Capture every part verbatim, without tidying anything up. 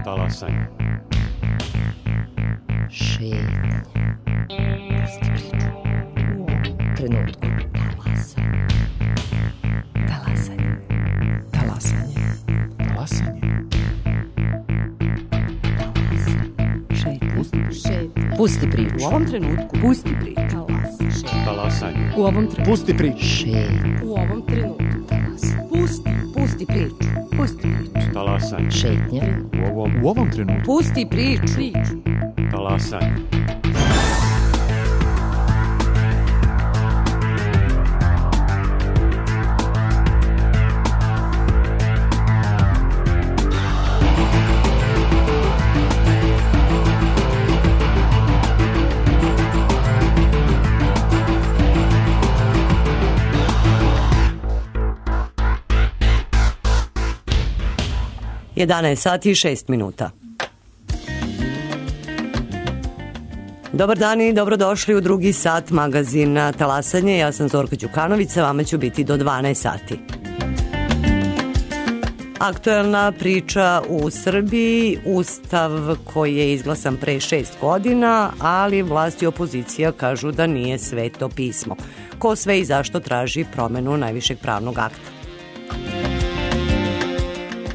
Talasanje. Šetnja. Pusti priču. U ovom trenutku. Talasanje. Talasanje. Talasanje. Talasanje. Šetnja. Pusti, šetnja. Pusti priču. U ovom trenutku. Pusti priču. Talasanje. Talasanje. U ovom trenutku. Pusti priču. Šetnja. U ovom trenutku. Talasanje. Pusti. Pusti priču. Pusti priču. Talasanje. Šetnja. U ovom, u ovom trenutku. Pusti priču. Priču. Talasanje. jedanaest sati i šest minuta. Dobar dan i dobrodošli u drugi sat magazina Talasanje. Ja sam Zorka Đukanović, sa vama ću biti do dvanaest sati. Aktuelna priča u Srbiji, ustav koji je izglasan pre šest godina, ali vlast i opozicija kažu da nije sveto pismo. Ko sve i zašto traži promenu najvišeg pravnog akta?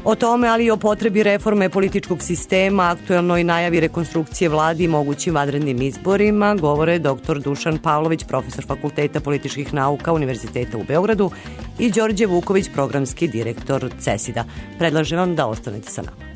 O tome, ali i o potrebi reforme političkog sistema, aktuelnoj najavi rekonstrukcije vladi i mogućim vanrednim izborima, govore doktor Dušan Pavlović, profesor Fakulteta političkih nauka Univerziteta u Beogradu, i Đorđe Vuković, programski direktor CESID-a. Predlažem vam da ostanete sa nama.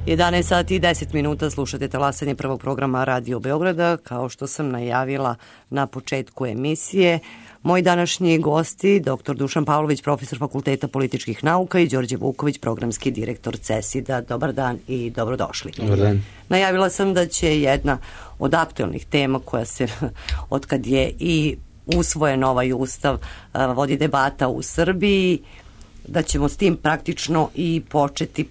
jedanaest sati i deset minuta slušate talasanje prvog programa Radio Beograda. Kao što sam najavila na početku emisije, moji današnji gosti, doktor Dušan Pavlović, profesor Fakulteta političkih nauka i Đorđe Vuković, programski direktor CESID-a. Dobar dan i dobrodošli. Dobar dan. Najavila sam da će jedna od aktuelnih tema koja se, otkad je i usvojen ovaj ustav, vodi debata u Srbiji, da ćemo s tim praktično i početi.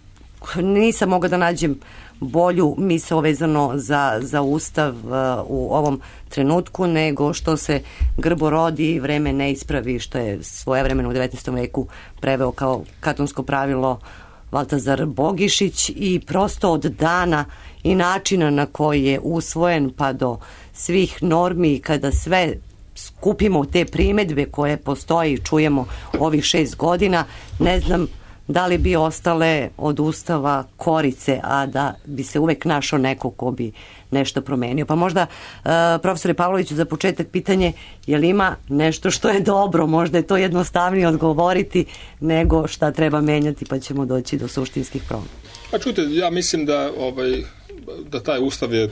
Nisam mogla da nađem bolju misao vezano za, za ustav uh, u ovom trenutku, nego što se grbo rodi, vreme ne ispravi, što je svojevremeno u devetnaestom veku preveo kao katonsko pravilo Valtazar Bogišić, i prosto od dana i načina na koji je usvojen pa do svih normi, kada sve skupimo te primedbe koje postoje i čujemo ovih šest godina, ne znam da li bi ostale od ustava korice, a da bi se uvek našao neko ko bi nešto promenio. Pa možda, uh, profesore Pavloviću, za početak pitanje, je li ima nešto što je dobro? Možda je to jednostavnije odgovoriti nego šta treba menjati, pa ćemo doći do suštinskih promena. Pa čujte, ja mislim da, ovaj, da taj ustav je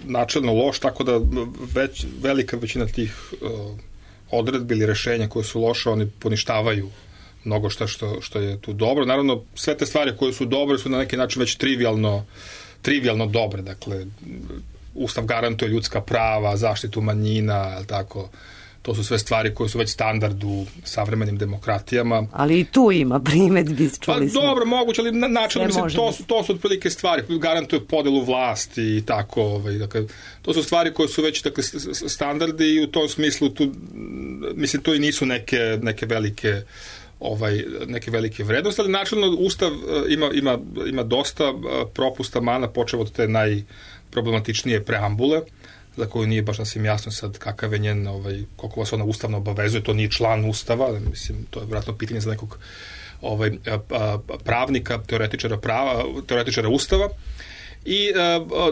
načelno loš, tako da već, velika većina tih uh, odredbi ili rešenja koje su loše, oni poništavaju mnogo šta što, što je tu dobro. Naravno, sve te stvari koje su dobre su na neki način već trivialno, trivialno dobre. Dakle, ustav garantuje ljudska prava, zaštitu manjina, tako. To su sve stvari koje su već standard u savremenim demokratijama. Ali i tu ima primedbi, čuli smo. Pa dobro, moguće, ali na, način, mislim, to su, to su otprilike stvari. Garantuje podelu vlasti i tako. Ovaj, dakle, to su stvari koje su već, dakle, standardi, i u tom smislu tu, mislim, to i nisu neke, neke velike ovaj neke velike vrednosti, ali načelno ustav ima, ima, ima dosta propusta, mana, počev od te najproblematičnije preambule, za koju nije baš nasvim jasno sad kakav je njen, ovaj, koliko vas ona ustavno obavezuje, to nije član ustava, mislim, to je vjerojatno pitanje za nekog ovaj, pravnika, teoretičara prava, teoretičara ustava, i e,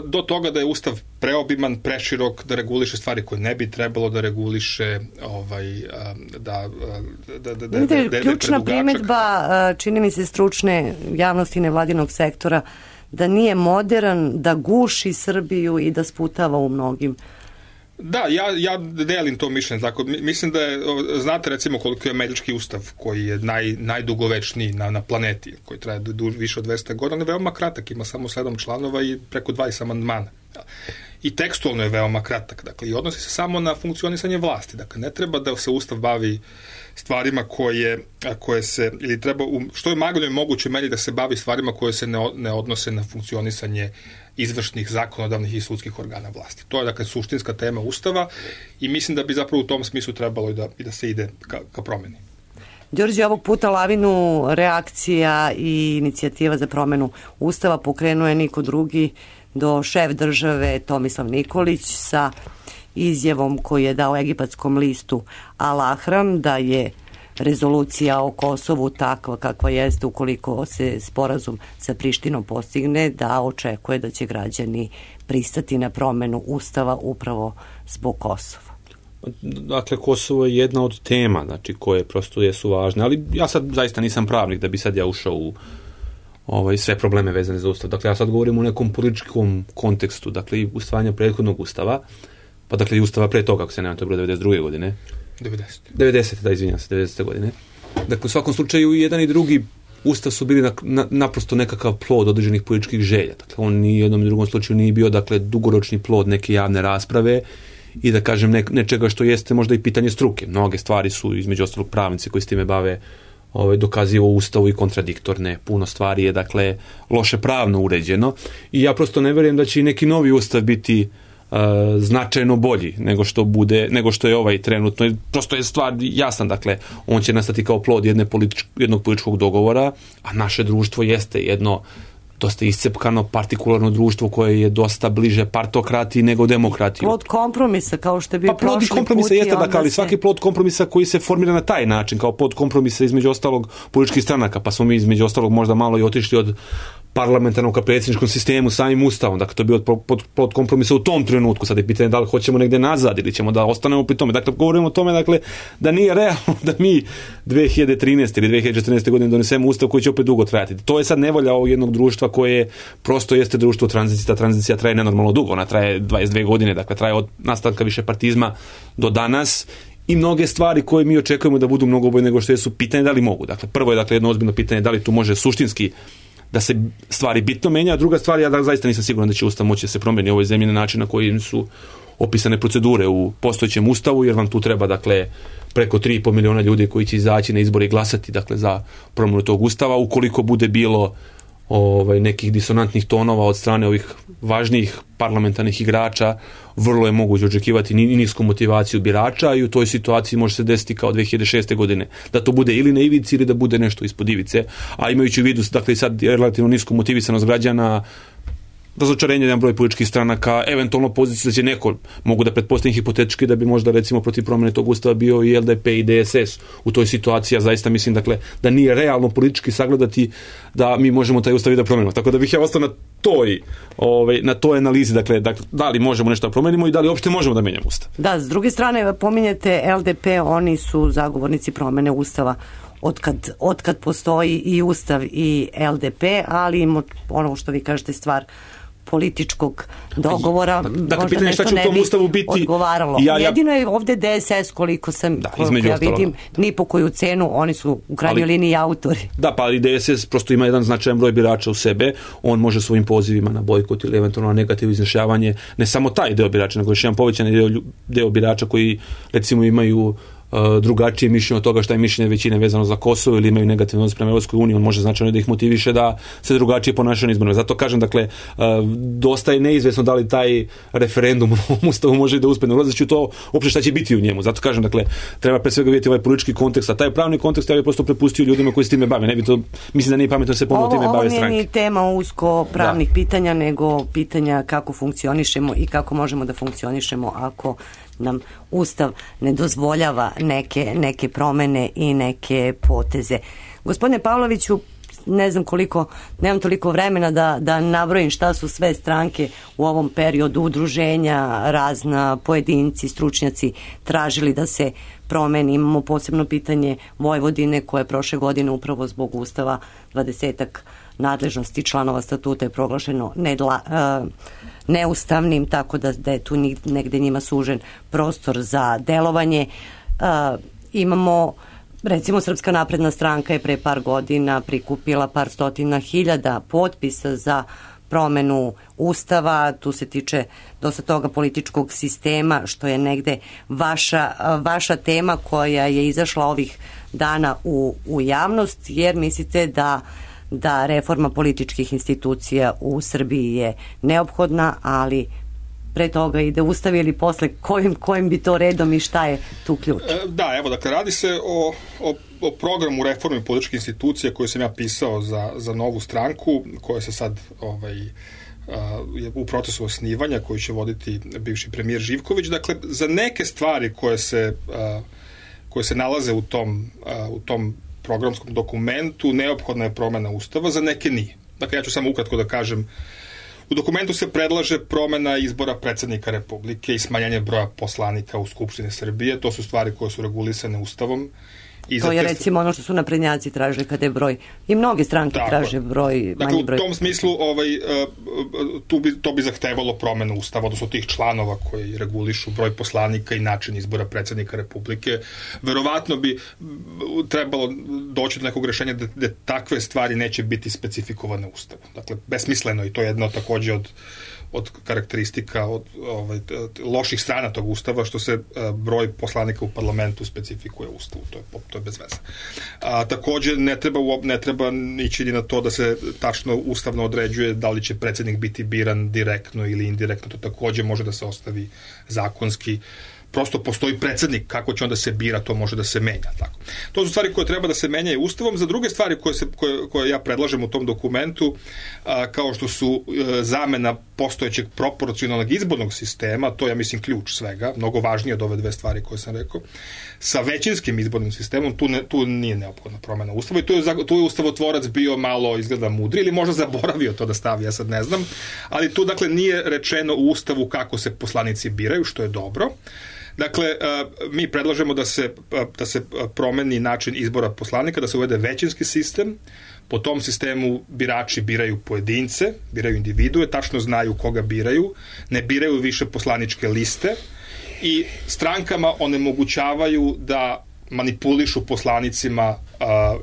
do toga da je ustav preobiman, preširok, da reguliše stvari koje ne bi trebalo da reguliše, ovaj, da, da, da, da, Vidite, da, ključna da primedba, čini mi se, stručne javnosti nevladinog sektora, da nije modern, da guši Srbiju i da sputava u mnogim. Da, ja, ja delim to mišljenje. Tako, mislim da je, znate recimo koliko je američki ustav, koji je naj, najdugovečniji na, na planeti, koji traje du, više od dvesta godina, on je veoma kratak, ima samo sedam članova i preko dvadeset amandmana. I tekstualno je veoma kratak, dakle, i odnosi se samo na funkcionisanje vlasti. Dakle, ne treba da se ustav bavi stvarima koje, koje se, ili treba, u, što je magnoj moguće meni da se bavi stvarima koje se ne, ne odnose na funkcionisanje izvršnih, zakonodavnih i sudskih organa vlasti. To je, dakle, suštinska tema ustava, i mislim da bi zapravo u tom smislu trebalo i da, i da se ide ka, ka promeni. Đorđe, ovog puta lavinu reakcija i inicijativa za promenu ustava pokrenuje niko drugi do šef države Tomislav Nikolić sa izjavom koju je dao egipatskom listu Al-Ahram da je rezolucija o Kosovu takva kakva jeste, ukoliko se sporazum sa Prištinom postigne, da očekuje da će građani pristati na promenu ustava upravo zbog Kosova. Dakle, Kosovo je jedna od tema, znači, koje prosto jesu važne, ali ja sad zaista nisam pravnik da bi sad ja ušao u ovaj, sve probleme vezane za ustav. Dakle, ja sad govorim u nekom političkom kontekstu, dakle, i usvajanja prethodnog ustava, pa dakle i ustava pre toga, ako se nema, to je bilo devedeset druge godine. devedeset. devedeset, da, izvinjam se, devedesete godine. Dakle, u svakom slučaju i jedan i drugi ustav su bili na, na, naprosto nekakav plod određenih političkih želja. Dakle, on ni u jednom i drugom slučaju nije bio, dakle, dugoročni plod neke javne rasprave i, da kažem, ne, nečega što jeste možda i pitanje struke. Mnoge stvari su, između ostalog, pravnici koji s time bave, ovaj, dokazivo ustavu i kontradiktorne. Puno stvari je, dakle, loše pravno uređeno, i ja prosto ne verujem da će i neki novi ustav biti Uh, značajno bolji nego što bude, nego što je ovaj trenutno. Prosto je stvar jasna, dakle, on će nastati kao plod jedne politič, jednog političkog dogovora, a naše društvo jeste jedno dosta iscepkano, partikularno društvo koje je dosta bliže partokratiji nego demokratiji. Plod kompromisa, kao što je bio pa, plod kompromisa jeste, dakle, ali se... svaki plod kompromisa koji se formira na taj način, kao plod kompromisa između ostalog političkih stranaka, pa smo mi između ostalog možda malo i otišli od parlamentarnom ka predsjedničkom sistemu, samim ustavom, dakle to je bio pod, pod kompromisa u tom trenutku, sad je pitanje da li hoćemo negdje nazad ili ćemo da ostanemo pri tome, dakle govorimo o tome dakle, da nije realno da mi dve hiljade trinaeste ili dve hiljade četrnaeste godine donesemo ustav koji će opet dugo trajati. To je sad nevolja ovog jednog društva koje prosto jeste društvo tranzicije, ta tranzicija traje nenormalno dugo, ona traje dvadeset dvije godine, dakle traje od nastanka višepartizma do danas. I mnoge stvari koje mi očekujemo da budu mnogo bolje nego što jesu, pitanje da li mogu. Dakle, prvo je dakle jedno ozbiljno pitanje da li tu može suštinski da se stvari bitno menja, a druga stvar, ja da zaista nisam siguran da će ustav moći da se promeni u ovoj zemlji na način na koji su opisane procedure u postojećem ustavu, jer vam tu treba dakle preko tri i pol miliona ljudi koji će izaći na izbore i glasati dakle za promjenu tog ustava, ukoliko bude bilo ovaj, nekih disonantnih tonova od strane ovih važnijih parlamentarnih igrača, vrlo je moguće očekivati nisku motivaciju birača i u toj situaciji može se desiti kao dve hiljade šeste godine, da to bude ili na ivici ili da bude nešto ispod ivice, a imajući u vidu dakle sad relativno nisku motivisanost građana, razočarenje jedan broj političkih stranaka, eventualno pozicija da će neko, mogu da pretpostavim hipotetički da bi možda recimo protiv promjene tog ustava bio i L D P i D S S u toj situaciji, ja zaista mislim dakle da nije realno politički sagledati da mi možemo taj ustav i da promenimo. Tako da bih ja ostao na toj, ovaj, na toj analizi, dakle, dakle da li možemo nešto da promenimo i da li uopšte možemo da menjamo ustav. Da, s druge strane pominjete L D P, oni su zagovornici promjene ustava otkad, otkad postoji i ustav i L D P, ali ono što vi kažete stvar političkog dogovora, dakle, možda nešto ne bi odgovaralo. Ja, ja... Jedino je ovdje D S S, koliko sam, da, koliko ja vidim, ni po koju cenu, oni su u krajnjoj ali, liniji autori. Da, pa ali D S S prosto ima jedan značajan broj birača u sebe, on može svojim pozivima na bojkot ili eventualno na negativno izjašnjavanje, ne samo taj deo birača, nego još jedan povećan deo, deo birača koji recimo imaju drugačije mišljenje od toga šta je mišljenje većine vezano za Kosovo ili imaju negativno odnos prema Europskoj uniji, on može značajno da ih motiviše da se drugačije ponašaju na izborima. Zato kažem, dakle, dosta je neizvesno da li taj referendum u Ustavu može da uspe, ne ulazeći u to uopšte šta će biti u njemu. Zato kažem, dakle, treba pre svega vidjeti ovaj politički kontekst, a taj pravni kontekst ja bih prosto prepustio ljudima koji se time bave. Ne bi to, mislim da nije pametno da se ponovno time bave stranke. Ovo nije ni tema usko pravnih da. pitanja, nego pitanja kako funkcionišemo i kako možemo da funkcionišemo ako nam Ustav ne dozvoljava neke, neke promene i neke poteze. Gospodine Pavloviću, ne znam koliko, nemam toliko vremena da, da nabrojim šta su sve stranke u ovom periodu, udruženja, razna pojedinci, stručnjaci tražili da se promeni. Imamo posebno pitanje Vojvodine koje je prošle godine upravo zbog Ustava dvadesetak nadležnosti članova statuta je proglašeno nedla, uh, neustavnim, tako da, da je tu negde njima sužen prostor za delovanje. Uh, imamo, recimo, Srpska napredna stranka je pre par godina prikupila par stotina hiljada potpisa za promenu Ustava, tu se tiče dosta toga političkog sistema, što je negde vaša, vaša tema koja je izašla ovih dana u, u javnost, jer mislite da da reforma političkih institucija u Srbiji je neophodna, ali pre toga ide Ustav ili posle kojim, kojim bi to redom i šta je tu ključ? Da, evo, dakle, radi se o, o, o programu reforme političkih institucija koju sam ja pisao za, za novu stranku, koja se sad ovaj, je u procesu osnivanja, koju će voditi bivši premijer Živković. Dakle, za neke stvari koje se, koje se nalaze u tom, u tom programskom dokumentu neophodna je promjena Ustava, za neke nije. Dakle, ja ću samo ukratko da kažem, u dokumentu se predlaže promjena izbora predsjednika Republike i smanjanje broja poslanika u Skupštini Srbije. To su stvari koje su regulisane Ustavom. I to je recimo ono što su naprednjaci traže kada je broj, i mnoge stranke tako traže broj, dakle, manji broj. U tom smislu ovaj, tu bi, to bi zahtevalo promjenu Ustava, odnosno tih članova koji regulišu broj poslanika i način izbora predsjednika Republike. Verovatno bi trebalo doći do nekog rješenja da, da takve stvari neće biti specifikovane Ustavom. Dakle, besmisleno, i to je jedno također od od karakteristika od ovaj, loših strana tog Ustava, što se a, broj poslanika u parlamentu specifikuje u Ustavu. To je, to je bez veze. A, također ne treba, ne treba ići ni na to da se tačno ustavno određuje da li će predsjednik biti biran direktno ili indirektno. To također može da se ostavi zakonski. Prosto postoji predsjednik, kako će onda se bira, to može da se menja. Tako. To su stvari koje treba da se menjaju Ustavom. Za druge stvari koje, se, koje, koje ja predlažem u tom dokumentu, a, kao što su a, zamena postojećeg proporcionalnog izbornog sistema, to je, ja mislim, ključ svega, mnogo važnije od ove dve stvari koje sam rekao, sa većinskim izbornim sistemom, tu, ne, tu nije neophodna promena ustava i tu je, tu je ustavotvorac bio malo, izgleda, mudri ili možda zaboravio to da stavi, ja sad ne znam, ali tu, dakle, nije rečeno u ustavu kako se poslanici biraju, što je dobro. Dakle, mi predlažemo da se, da se promeni način izbora poslanika, da se uvede većinski sistem. Po tom sistemu birači biraju pojedince, biraju individue, tačno znaju koga biraju, ne biraju više poslaničke liste i strankama onemogućavaju da manipulišu poslanicima a, a,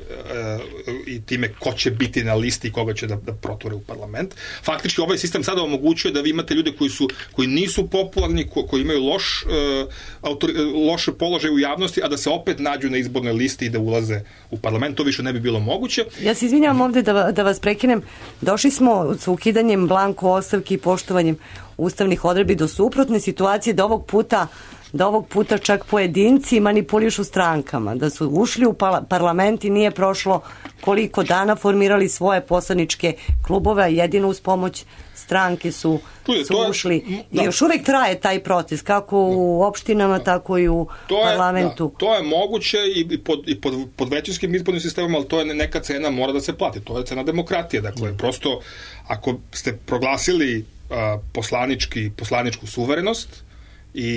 i time ko će biti na listi i koga će da, da proture u parlament. Faktički ovaj sistem sada omogućuje da vi imate ljude koji su koji nisu popularni, ko, koji imaju loš, a, autor, loš položaj u javnosti, a da se opet nađu na izbornoj listi i da ulaze u parlament. To više ne bi bilo moguće. Ja se izvinjavam ovde da, da vas prekinem. Došli smo sa ukidanjem blanko ostavki i poštovanjem ustavnih odredbi do suprotne situacije da ovog puta da ovog puta čak pojedinci manipulišu strankama, da su ušli u parlament i nije prošlo koliko dana, formirali svoje poslaničke klubove, a jedino uz pomoć stranke su, je, su ušli. Je, I još uvek traje taj proces, kako u opštinama, tako i u to parlamentu. Je, da, to je moguće i pod, i pod, pod većinskim izbornim sistemom, ali to je neka cena, mora da se plati. To je cena demokratije. Dakle, mm. prosto, ako ste proglasili uh, poslanički, poslaničku suverenost, I,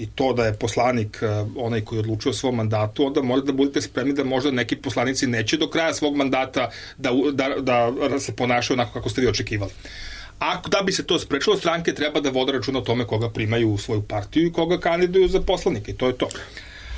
i to da je poslanik uh, onaj koji odlučuje o svom mandatu, onda morate da budete spremni da možda neki poslanici neće do kraja svog mandata da, da, da, da se ponašaju onako kako ste vi očekivali. A da bi se to sprečilo, stranke treba da vode računa o tome koga primaju u svoju partiju i koga kandiduju za poslanike. I to je to.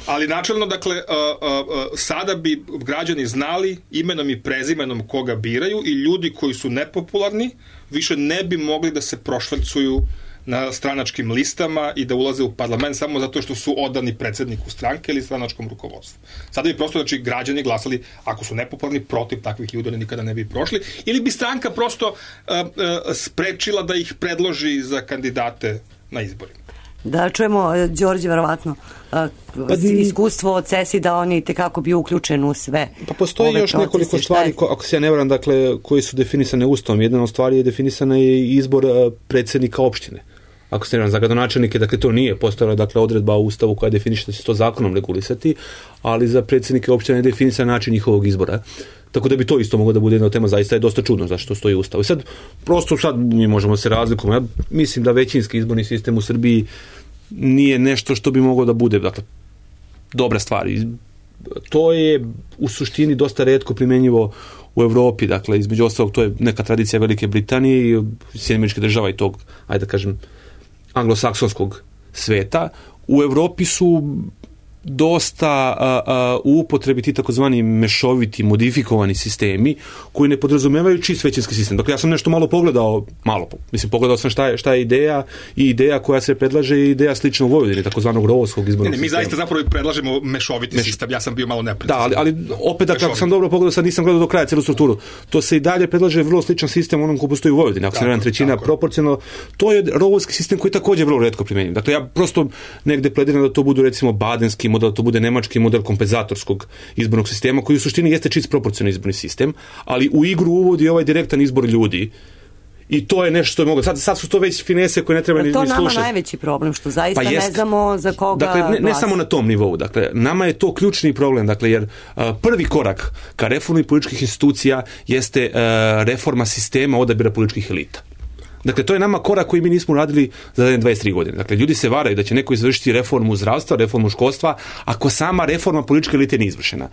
Ali načelno, dakle, uh, uh, sada bi građani znali imenom i prezimenom koga biraju i ljudi koji su nepopularni više ne bi mogli da se prošvercuju na stranačkim listama i da ulaze u parlament samo zato što su odani predsjedniku stranke ili stranačkom rukovodstvu. Sada bi prosto, znači, građani glasali, ako su nepopularni, protiv takvih ljudi, oni nikada ne bi prošli, ili bi stranka prosto uh, uh, sprečila da ih predloži za kandidate na izborima. Da čujemo, Đorđe, verovatno, uh, iskustvo od Cesi da oni tekako bio uključen u sve. Pa postoji još procese, nekoliko stvari, ko, ako se ja ne varam, dakle, koji su definisane Ustavom. Jedna od stvari je definisana je izbor uh, predsjednika opštine. Ako se ne varam, za gradonačelnike, dakle, to nije postojala, dakle, odredba u Ustavu koja definiše da će to zakonom regulisati, ali za predsjednike opštine je definisan način njihovog izbora. Tako da bi to isto moglo da bude jedna tema, zaista je dosta čudno zašto stoji u Ustavu. I sad, prosto sad mi možemo se razlikovati. Ja mislim da većinski izborni sistem u Srbiji nije nešto što bi moglo da bude, dakle, dobra stvar. To je u suštini dosta retko primenjivo u Evropi, dakle, između ostalog, to je neka tradicija Velike Britanije i Sjedinjenih Američkih Država i tog, ajde da kažem, anglosaksonskog sveta. U Evropi su dosta a, a, u upotrebi ti takozvani mešoviti, modifikovani sistemi koji ne podrazumevaju čist većinski sistem. Dakle, ja sam nešto malo pogledao, malo, mislim, pogledao sam šta je, šta je ideja i ideja koja se predlaže i ideja slična u Vojvodini, takozvanog rovovskog izbornog sistema. Mi zaista zapravo predlažemo mešoviti Meš... sistem, ja sam bio malo neprecizan. Da, ali, ali opet, da, kako sam dobro pogledao, sad nisam gledao do kraja celu strukturu, to se i dalje predlaže vrlo sličan sistem onom koji postoji u Vojvodini, ako se ne varam trećina proporcionalno, to je rovovski sistem koji takođe vrlo retko primenjiv. Dakle, ja prosto negde plediram da to budu, recimo, badenski model, da to bude nemački model kompenzatorskog izbornog sistema, koji u suštini jeste čist proporcionalni izborni sistem, ali u igru uvodi ovaj direktan izbor ljudi. I to je nešto što je moglo. Sad, sad su to već finese koje ne treba ni slušati. To nama najveći problem, što zaista pa ne znamo za koga dakle, ne, ne samo na tom nivou. Dakle, nama je to ključni problem, dakle, jer uh, prvi korak ka reformi političkih institucija jeste uh, reforma sistema odabira političkih elita. Dakle, to je nama korak koji mi nismo radili za dvadeset tri godine. Dakle, ljudi se varaju da će neko izvršiti reformu zdravstva, reformu školstva, ako sama reforma političke elite nije izvršena.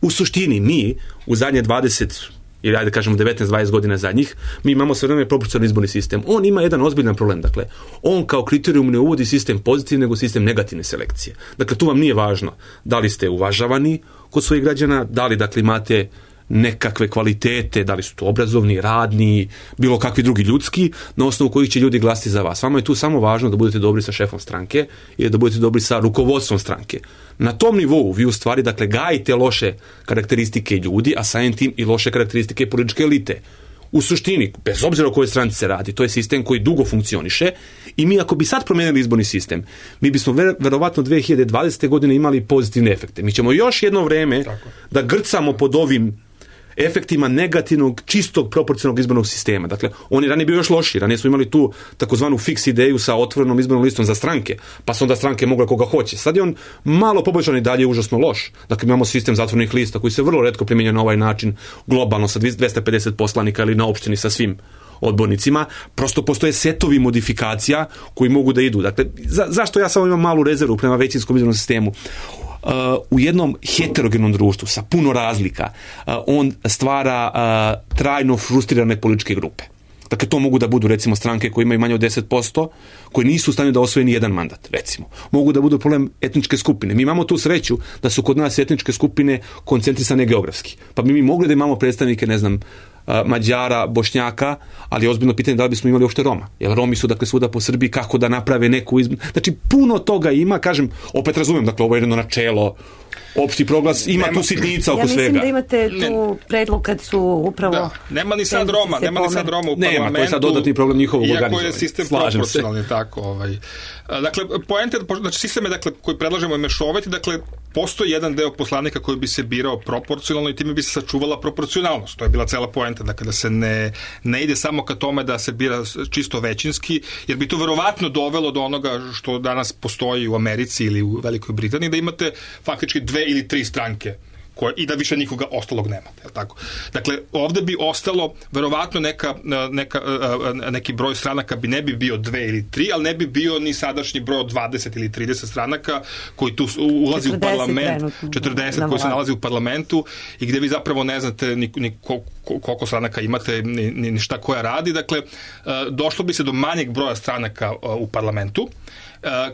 U suštini, mi u zadnje dvadeset ili ajde kažemo devetnaest dvadeset godina zadnjih, mi imamo sve vreme proporcionalni izborni sistem. On ima jedan ozbiljan problem. Dakle, on kao kriterijum ne uvodi sistem pozitivne, nego sistem negativne selekcije. Dakle, tu vam nije važno da li ste uvažavani kod svojih građana, da li, dakle, imate nekakve kvalitete, da li su to obrazovni, radni, bilo kakvi drugi ljudski, na osnovu kojih će ljudi glasiti za vas. Vama je tu samo važno da budete dobri sa šefom stranke i da budete dobri sa rukovodstvom stranke. Na tom nivou vi u stvari, dakle, gajite loše karakteristike ljudi, a samim tim i loše karakteristike političke elite. U suštini, bez obzira o kojoj stranci se radi, to je sistem koji dugo funkcioniše i mi ako bi sad promenili izborni sistem, mi bismo ver, verovatno dve hiljade dvadesete godine imali pozitivne efekte. Mi ćemo još jedno vreme Tako. da grcamo pod ovim efektima negativnog, čistog proporcionalnog izbornog sistema. Dakle, on je ranije bio još lošiji. Ranije smo imali tu takozvanu fiks ideju sa otvorenom izbornom listom za stranke, pa su onda stranke mogle koga hoće. Sad je on malo poboljšan i dalje užasno loš. Dakle, imamo sistem zatvorenih lista koji se vrlo retko primjenjuje na ovaj način globalno sa dvesta pedeset poslanika ili na opštini sa svim odbornicima. Prosto postoje setovi modifikacija koji mogu da idu. Dakle, za, zašto ja samo imam malu rezervu prema većinskom izbornom sistemu? Uh, u jednom heterogenom društvu sa puno razlika uh, on stvara uh, trajno frustrirane političke grupe. Dakle, to mogu da budu, recimo, stranke koje imaju manje od deset posto, koje nisu u stanju da osvoje ni jedan mandat, recimo. Mogu da budu problem etničke skupine. Mi imamo tu sreću da su kod nas etničke skupine koncentrisane geografski. Pa bi mi mogli da imamo predstavnike, ne znam, Mađara, Bošnjaka, ali je ozbiljno pitanje da li bismo imali uopšte Roma. Jer Romi su, dakle, svuda po Srbiji, kako da naprave neku izm... Znači, puno toga ima, kažem, opet razumem, dakle, ovo je jedno načelo, opšti proglas, ima nema, tu sitnica oko svega. Ja mislim svega. Da imate tu predlog kad su upravo... Da, nema ni sad Roma, nema ni sad Roma u parlamentu. Nema, to je sad dodatni problem njihovog organizovanja. Iako je sistem proporcionalni, tako. Ovaj. Dakle, poenta, znači, sistem je, dakle, koji predlažemo je mešoviti, dakle, postoji jedan deo poslanika koji bi se birao proporcionalno i time bi se sačuvala proporcionalnost. To je bila cela poenta, dakle, da se ne, ne ide samo ka tome da se bira čisto većinski, jer bi to verovatno dovelo do onoga što danas postoji u Americi ili u Velikoj Britaniji, da imate faktički dve ili tri stranke koje, i da više nikoga ostalog nemate. Je tako? Dakle, ovde bi ostalo verovatno neka, neka, neki broj stranaka bi ne bi bio dve ili tri, ali ne bi bio ni sadašnji broj od dvadeset ili trideset stranaka koji tu ulazi u parlament, četrdeset koji se nalazi u parlamentu i gde vi zapravo ne znate ni, ni koliko stranaka imate, ni, ni šta koja radi. Dakle, došlo bi se do manjeg broja stranaka u parlamentu,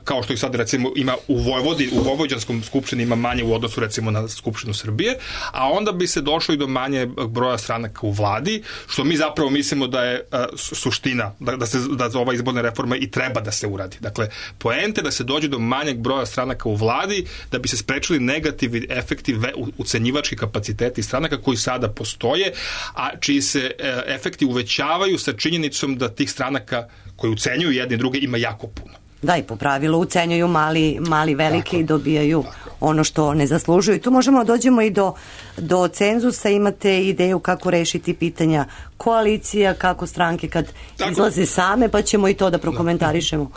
kao što ih sad, recimo, ima u Vojvodini, u Vojvođanskom skupštini ima manje u odnosu, recimo, na Skupštinu Srbije, a onda bi se došlo i do manje broja stranaka u vladi, što mi zapravo mislimo da je uh, suština, da, da, se, da ova izborna reforma i treba da se uradi. Dakle, poente da se dođe do manjeg broja stranaka u vladi, da bi se sprečili negativni efekti, ucenjivački kapaciteti stranaka koji sada postoje, a čiji se uh, efekti uvećavaju sa činjenicom da tih stranaka koji ucenjuju jedni druge ima jako puno. Da, i po pravilu ucenjuju mali, mali veliki i dobijaju tako ono što ne zaslužuju. I tu možemo dođemo i do, do cenzusa. Imate ideju kako rešiti pitanja koalicija, kako stranke kad tako izlaze same, pa ćemo i to da prokomentarišemo.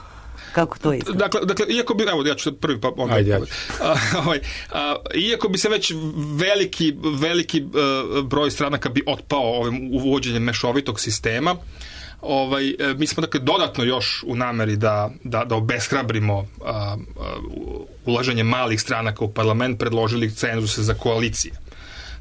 Kako to izgleda? Dakle, dakle, iako bi, evo, ja ću prvi pa onda. Ajde, ajde. A, ovaj, a, iako bi se već veliki, veliki uh, broj stranaka bi otpao ovim uvođenjem mešovitog sistema, Ovaj, mi smo, dakle, dodatno još u nameri da, da, da obeshrabrimo uh, uh, ulaženje malih stranaka u parlament predložili cenzuse za koalicije.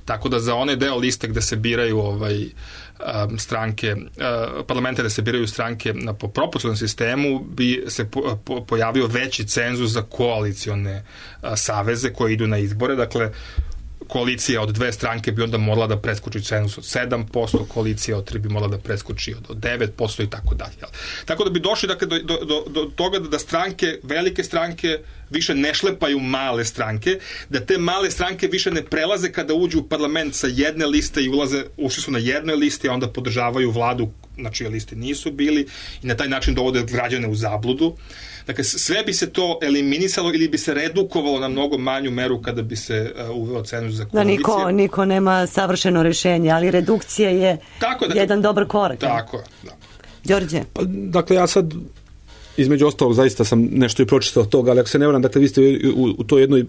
Tako da za one deo liste gde se biraju ovaj, um, stranke, uh, parlamente da se biraju stranke na po proporcionalnom sistemu bi se po, po, pojavio veći cenzus za koalicione uh, saveze koje idu na izbore. Dakle, koalicija od dve stranke bi onda morala da preskoči cenzus od sedam posto, koalicija od tri bi morala da preskoči od devet posto i tako dalje. Tako da bi došli, dakle, do, do, do, do toga da stranke, velike stranke više ne šlepaju male stranke, da te male stranke više ne prelaze kada uđu u parlament sa jedne liste i ulaze, ušli su na jednoj listi, a onda podržavaju vladu na čije listi nisu bili i na taj način dovode građane u zabludu. Dakle, sve bi se to eliminisalo ili bi se redukovalo na mnogo manju meru kada bi se uh, uveo cenzus za koalicije. Da, niko, niko nema savršeno rešenje, ali redukcija je tako, dakle, jedan dobar korak. Tako je, da. Đorđe? Pa, dakle, ja sad između ostalog zaista sam nešto i pročitao od toga, ali ako se ne varam, dakle, vi ste u, u toj jednoj uh,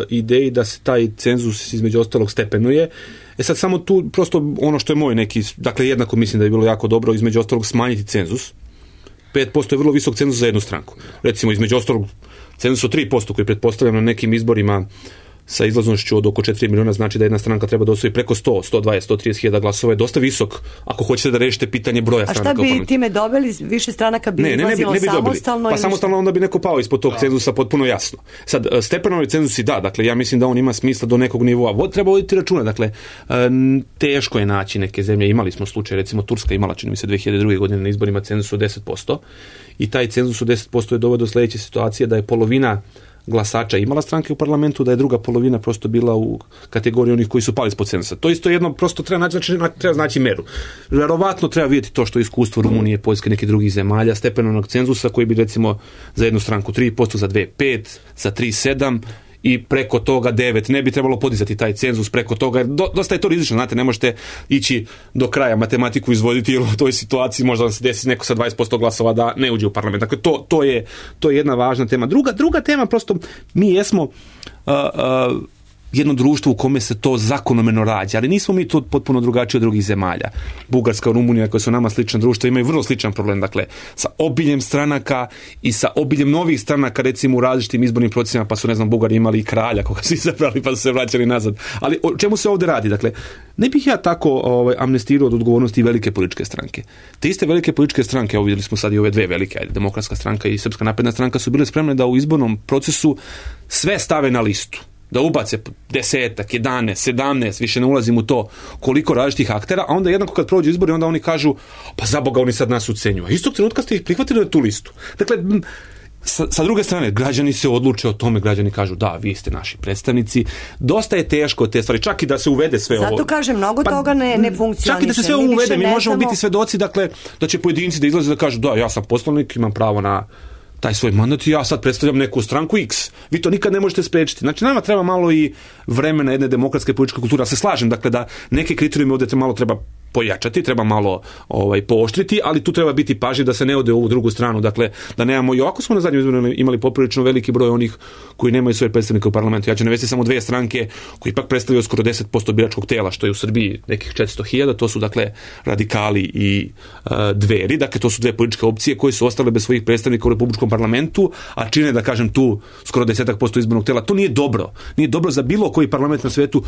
ideji da se taj cenzus između ostalog stepenuje. E sad samo tu prosto ono što je moj neki, dakle, jednako mislim da je bilo jako dobro između ostalog smanjiti cenzus. pet posto je vrlo visok cenzus za jednu stranku. Recimo, između ostalog, cenzus od tri posto koji pretpostavljam na nekim izborima sa izlaznošću od oko četiri miliona znači da jedna stranka treba da osvoji preko sto, sto dvadeset, sto trideset hiljada glasova, je dosta visok ako hoćete da rešite pitanje broja stranaka. A šta bi time dobili? Više stranaka bi ne, ne, ne, ne bi samostalno? Pa samostalno onda bi neko pao ispod tog da. cenzusa potpuno jasno. Sad, stepenovi cenzusi da, dakle, ja mislim da on ima smisla do nekog nivoa. Treba voditi računa, dakle, teško je naći neke zemlje. Imali smo slučaj, recimo Turska imala, čini mi se, dve hiljade druge godine na izborima cenzus od deset posto i taj cenzus od deset posto je doveo do sledeće situacije da je polovina glasača imala stranke u parlamentu, da je druga polovina prosto bila u kategoriji onih koji su pali ispod cenzusa. To isto jedno prosto treba naći, znači, treba znači meru. Verovatno treba vidjeti to što je iskustvo Rumunije, Poljske, nekih drugih zemalja, stepenovnog cenzusa koji bi recimo za jednu stranku tri posto, za dve pet, za tri sedam i preko toga devet. Ne bi trebalo podizati taj cenzus preko toga, jer do, dosta je to rizično, znate, ne možete ići do kraja matematiku izvoditi, jer u toj situaciji možda vam se desi neko sa dvadeset posto glasova da ne uđe u parlament. Dakle, to, to, je, to je jedna važna tema. Druga, druga tema, prosto, mi jesmo uh, uh, jedno društvo u kome se to zakonomeno rađa, ali nismo mi to potpuno drugačiji od drugih zemalja. Bugarska, Rumunija, koje su nama slična društva, imaju vrlo sličan problem, dakle, sa obiljem stranaka i sa obiljem novih stranaka, recimo u različitim izbornim procesima, pa su, ne znam, Bugari imali i kralja koga su izabrali, pa su se vraćali nazad. Ali o čemu se ovdje radi? Dakle, ne bih ja tako ovaj, amnestirao od odgovornosti velike političke stranke. Te iste velike političke stranke, evo vidjeli smo sad i ove dve velike, ajde, Demokratska stranka i Srpska napredna stranka, su bile spremne da u izbornom procesu sve stave na listu. Da ubace desetak, jedanaest, sedamnaest, više ne ulazim u to koliko različitih aktera, a onda jednako kad prođu izbori, onda oni kažu, pa za Boga, oni sad nas ucenjuju. A istog trenutka ste ih prihvatili na tu listu. Dakle, sa, sa druge strane, građani se odluče o tome, građani kažu, da, vi ste naši predstavnici. Dosta je teško te stvari, čak i da se uvede sve Zato ovo. Zato kažem, mnogo pa, toga ne, ne funkcioniše. Čak i da se sve ovo uvede, mi možemo biti svedoci, dakle, da će pojedinci da izlaze da kažu, da, ja sam poslanik, imam pravo na taj svoj mandat i ja sad predstavljam neku stranku X. Vi to nikad ne možete spriječiti. Znači, nama treba malo i vremena jedne demokratske političke kulture. Ja se slažem, dakle, da neke kriterijume ovdje malo treba pojačati, treba malo ovaj, pooštriti, ali tu treba biti pažljiv da se ne ode u ovu drugu stranu. Dakle, da nemamo, i ovako smo na zadnjem izboru imali poprilično veliki broj onih koji nemaju svoje predstavnike u parlamentu. Ja ću navesti samo dvije stranke koji ipak predstavljaju skoro deset posto biračkog tela, što je u Srbiji nekih četiristo hiljada, to su, dakle, radikali i uh, dveri. Dakle, to su dve političke opcije koje su ostale bez svojih predstavnika u Republičkom parlamentu, a čine, da kažem, tu skoro desetak posto izbornog tela. To nije dobro. Nije dobro za bilo koji parlament na svetu.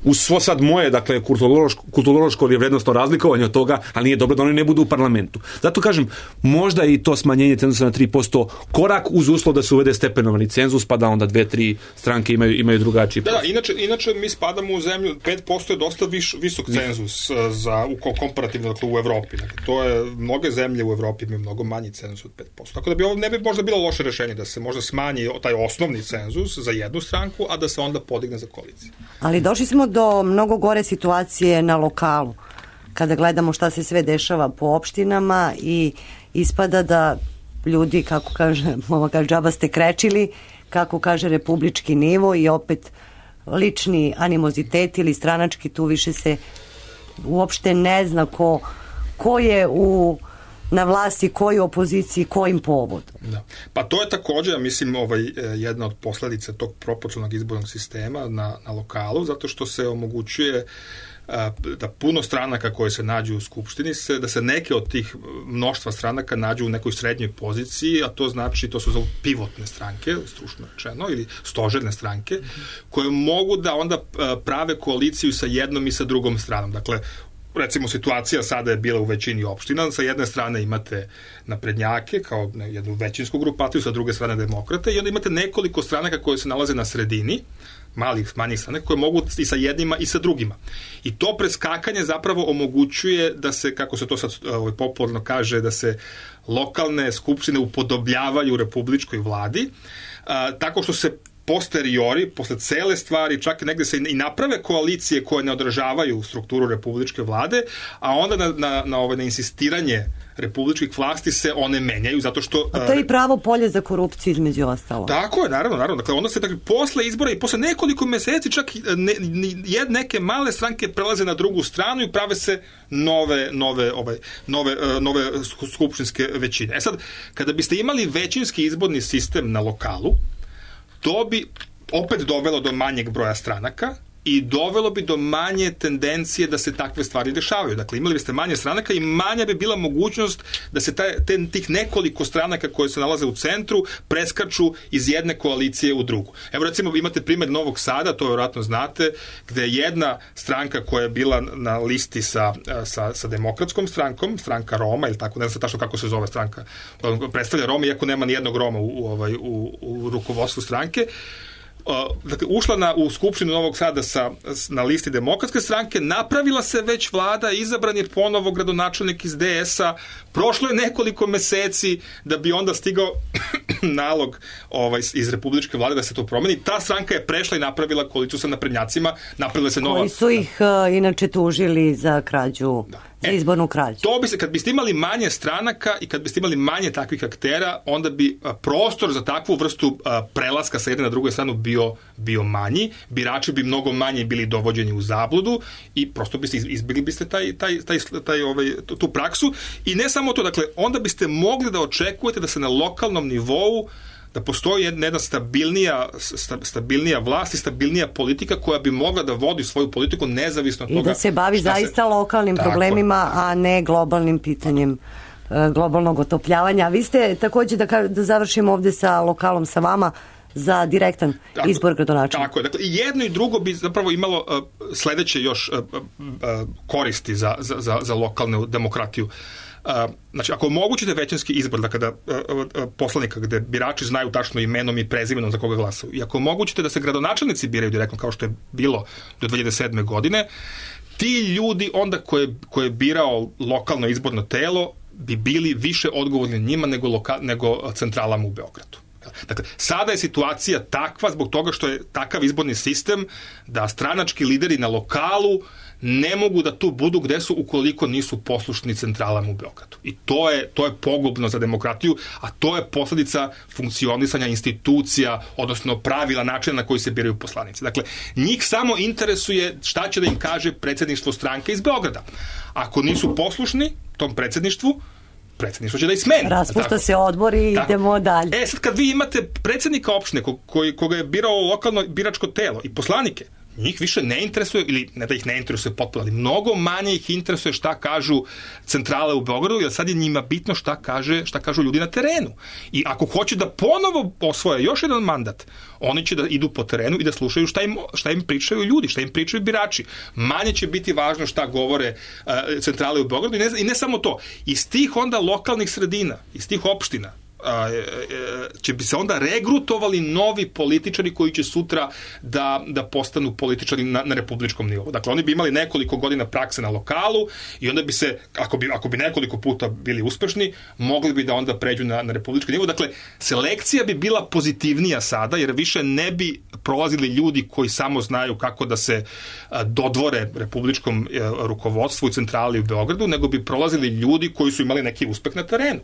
Uz svo sad moje, dakle, kulturološko, kulturološko ili vrednostno razlikovanje od toga, ali nije dobro da oni ne budu u parlamentu. Zato kažem, možda i to smanjenje cenzusa na tri posto korak uz uslov da se uvede stepenovani cenzus, pa da onda dve, tri stranke imaju, imaju drugačiji. Da, da, inače, inače mi spadamo u zemlju, pet posto je dosta viš, visok cenzus za, u, komparativno, dakle, u Evropi. Dakle, to je, mnoge zemlje u Evropi imaju mnogo manji cenzus od pet posto. Tako da bi ovo ne bi možda bilo loše rešenje da se možda smanji taj osnovni cenzus za jednu stranku, a da se onda podigne za koaliciju. Ali došli smo do mnogo gore situacije na lokalu. Kada gledamo šta se sve dešava po opštinama i ispada da ljudi, kako kaže, mama kaže, džaba ste krečili, kako kaže republički nivo i opet lični animozitet ili stranački, tu više se uopšte ne zna ko, ko je u na vlasti, koji opoziciji, kojim povodom. Da. Pa to je također, ja mislim, ovaj, jedna od posledica tog proporcionalnog izbornog sistema na, na lokalu, zato što se omogućuje da puno stranaka koje se nađu u skupštini, se, da se neke od tih mnoštva stranaka nađu u nekoj srednjoj poziciji, a to znači, to su pivotne stranke, stručno rečeno, ili stožerne stranke, koje mogu da onda prave koaliciju sa jednom i sa drugom stranom. Dakle, recimo, situacija sada je bila u većini opština, sa jedne strane imate naprednjake kao jednu većinsku grupaciju, sa druge strane demokrate, i onda imate nekoliko stranaka koje se nalaze na sredini, malih, manjih stranaka, koje mogu i sa jednima i sa drugima. I to preskakanje zapravo omogućuje da se, kako se to sad ovaj, popularno kaže, da se lokalne skupštine upodobljavaju republičkoj vladi, a, tako što se posteriori, posle cele stvari, čak negde se i naprave koalicije koje ne odražavaju strukturu republičke vlade, a onda na, na, na, ovaj, na insistiranje republičkih vlasti se one menjaju, zato što... A to je i pravo polje za korupciju, između ostalo. Tako je, naravno, naravno. Dakle, onda se dakle, posle izbora i posle nekoliko meseci čak ne, ne, neke male stranke prelaze na drugu stranu i prave se nove, nove, ovaj, nove, nove skupštinske većine. E sad, kada biste imali većinski izborni sistem na lokalu, to bi opet dovelo do manjeg broja stranaka i dovelo bi do manje tendencije da se takve stvari dešavaju. Dakle, imali biste manje stranaka i manja bi bila mogućnost da se taj, ten, tih nekoliko stranaka koje se nalaze u centru preskaču iz jedne koalicije u drugu. Evo, recimo, imate primjer Novog Sada, to vjerojatno znate, gde je jedna stranka koja je bila na listi sa, sa, sa demokratskom strankom, stranka Roma, ili tako, ne znam tačno kako se zove stranka, predstavlja Roma, iako nema ni jednog Roma u, u, u, u rukovodstvu stranke, Uh, dakle, ušla na, u Skupštinu Novog Sada sa, na listi demokratske stranke, napravila se već vlada, izabran je ponovo gradonačelnik iz de es a, prošlo je nekoliko meseci da bi onda stigao nalog ovaj, iz republičke vlade da se to promeni. Ta stranka je prešla i napravila koaliciju sa naprednjacima, napravila se nova... Koji su ih uh, inače tužili za krađu da. za izbornu krađu. To bi se, kad biste imali manje stranaka i kad biste imali manje takvih aktera, onda bi a, prostor za takvu vrstu a, prelaska sa jedne na drugu stranu bio, bio manji, birači bi mnogo manje bili dovođeni u zabludu i prosto biste izbjegli biste taj, taj, taj, taj, ovaj, tu praksu. I ne samo to, dakle, onda biste mogli da očekujete da se na lokalnom nivou da postoji jedna stabilnija, stabilnija vlast i stabilnija politika koja bi mogla da vodi svoju politiku nezavisno od toga. I da se bavi zaista se... lokalnim Tako. problemima, a ne globalnim pitanjem globalnog otopljavanja. A vi ste također, da, da završimo ovdje sa lokalom sa vama, za direktan tako, izbor gradonačelnika. Tako je. Dakle, i jedno i drugo bi zapravo imalo uh, sledeće još uh, uh, koristi za, za, za, za lokalnu demokratiju. Uh, znači, ako omogućite većinski izbor, dakle da uh, uh, poslanika gde birači znaju tačno imenom i prezimenom za koga glasaju, i ako omogućite da se gradonačelnici biraju direktno, kao što je bilo do dve hiljade sedme. godine, ti ljudi onda koje, koje je birao lokalno izborno telo bi bili više odgovorni njima nego, loka, nego centralama u Beogradu. Dakle, sada je situacija takva zbog toga što je takav izborni sistem da stranački lideri na lokalu ne mogu da tu budu gde su ukoliko nisu poslušni centralama u Beogradu. I to je, to je pogubno za demokratiju, a to je posledica funkcionisanja institucija, odnosno pravila, načina na koji se biraju poslanici. Dakle, njih samo interesuje šta će da im kaže predsjedništvo stranke iz Beograda. Ako nisu poslušni tom predsjedništvu, predsjedništvo će da ih smeni. Raspušta se odbor i tako. Idemo dalje. E sad kad vi imate predsjednika opštine ko, koji, koga je birao lokalno biračko telo i poslanike, njih više ne interesuje, ili ne da ih ne interesuje potpuno, ali mnogo manje ih interesuje šta kažu centrale u Beogradu, jer sad je njima bitno šta, kaže, šta kažu ljudi na terenu. I ako hoće da ponovo osvoje još jedan mandat, oni će da idu po terenu i da slušaju šta im, šta im pričaju ljudi, šta im pričaju birači. Manje će biti važno šta govore uh, centrale u Beogradu i ne, i ne samo to. Iz tih onda lokalnih sredina, iz tih opština, će bi se onda regrutovali novi političari koji će sutra da, da postanu političari na, na republičkom nivou. Dakle, oni bi imali nekoliko godina prakse na lokalu i onda bi se, ako bi, ako bi nekoliko puta bili uspešni, mogli bi da onda pređu na, na republički nivou. Dakle, selekcija bi bila pozitivnija sada, jer više ne bi prolazili ljudi koji samo znaju kako da se dodvore republičkom rukovodstvu i centrali u Beogradu, nego bi prolazili ljudi koji su imali neki uspeh na terenu.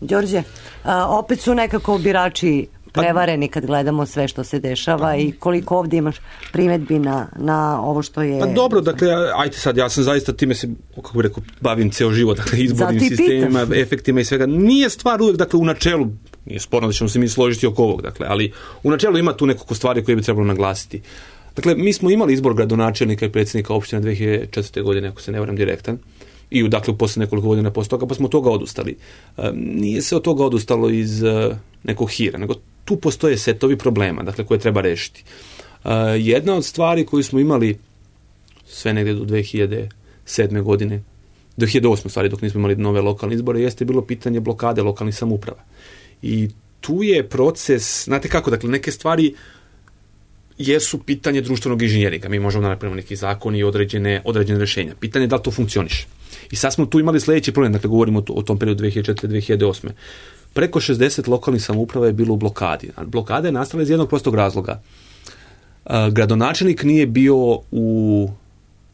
Đorđe, a, opet su nekako birači prevareni kad gledamo sve što se dešava i koliko ovdje imaš primjedbi na, na ovo što je... Pa dobro, dakle, ajte sad, ja sam zaista time se, kako bih rekao, bavim ceo život, dakle, izbornim sistemima, pitaš. Efektima i svega. Nije stvar uvijek, dakle, u načelu, nije sporno da ćemo se mi složiti oko ovog, dakle, ali u načelu ima tu nekoliko stvari koje bi trebalo naglasiti. Dakle, mi smo imali izbor gradonačelnika i predsjednika opštine dve hiljade četvrte. godine, ako se ne varam, direktan. I dakle u posle nekoliko godina posle toga, pa smo od toga odustali. E, nije se od toga odustalo iz e, nekog hira, nego tu postoje setovi problema, dakle, koje treba rešiti. E, jedna od stvari koju smo imali sve negdje do dve hiljade sedme. godine, dve hiljade osme. stvari, dok nismo imali nove lokalne izbore, jeste bilo pitanje blokade lokalnih samouprava. I tu je proces, znate kako, dakle, neke stvari jesu pitanje društvenog inženjeringa. Mi možemo da napravimo neki zakon i određene, određene rešenja. Pitanje je da li to funkcioniše. I sad smo tu imali sljedeći problem, dakle govorimo o tom periodu dve hiljade četvrte. do dve hiljade osme. Preko šezdeset lokalnih samouprava je bilo u blokadi. Blokada je nastala iz jednog prostog razloga. Gradonačelnik nije bio u,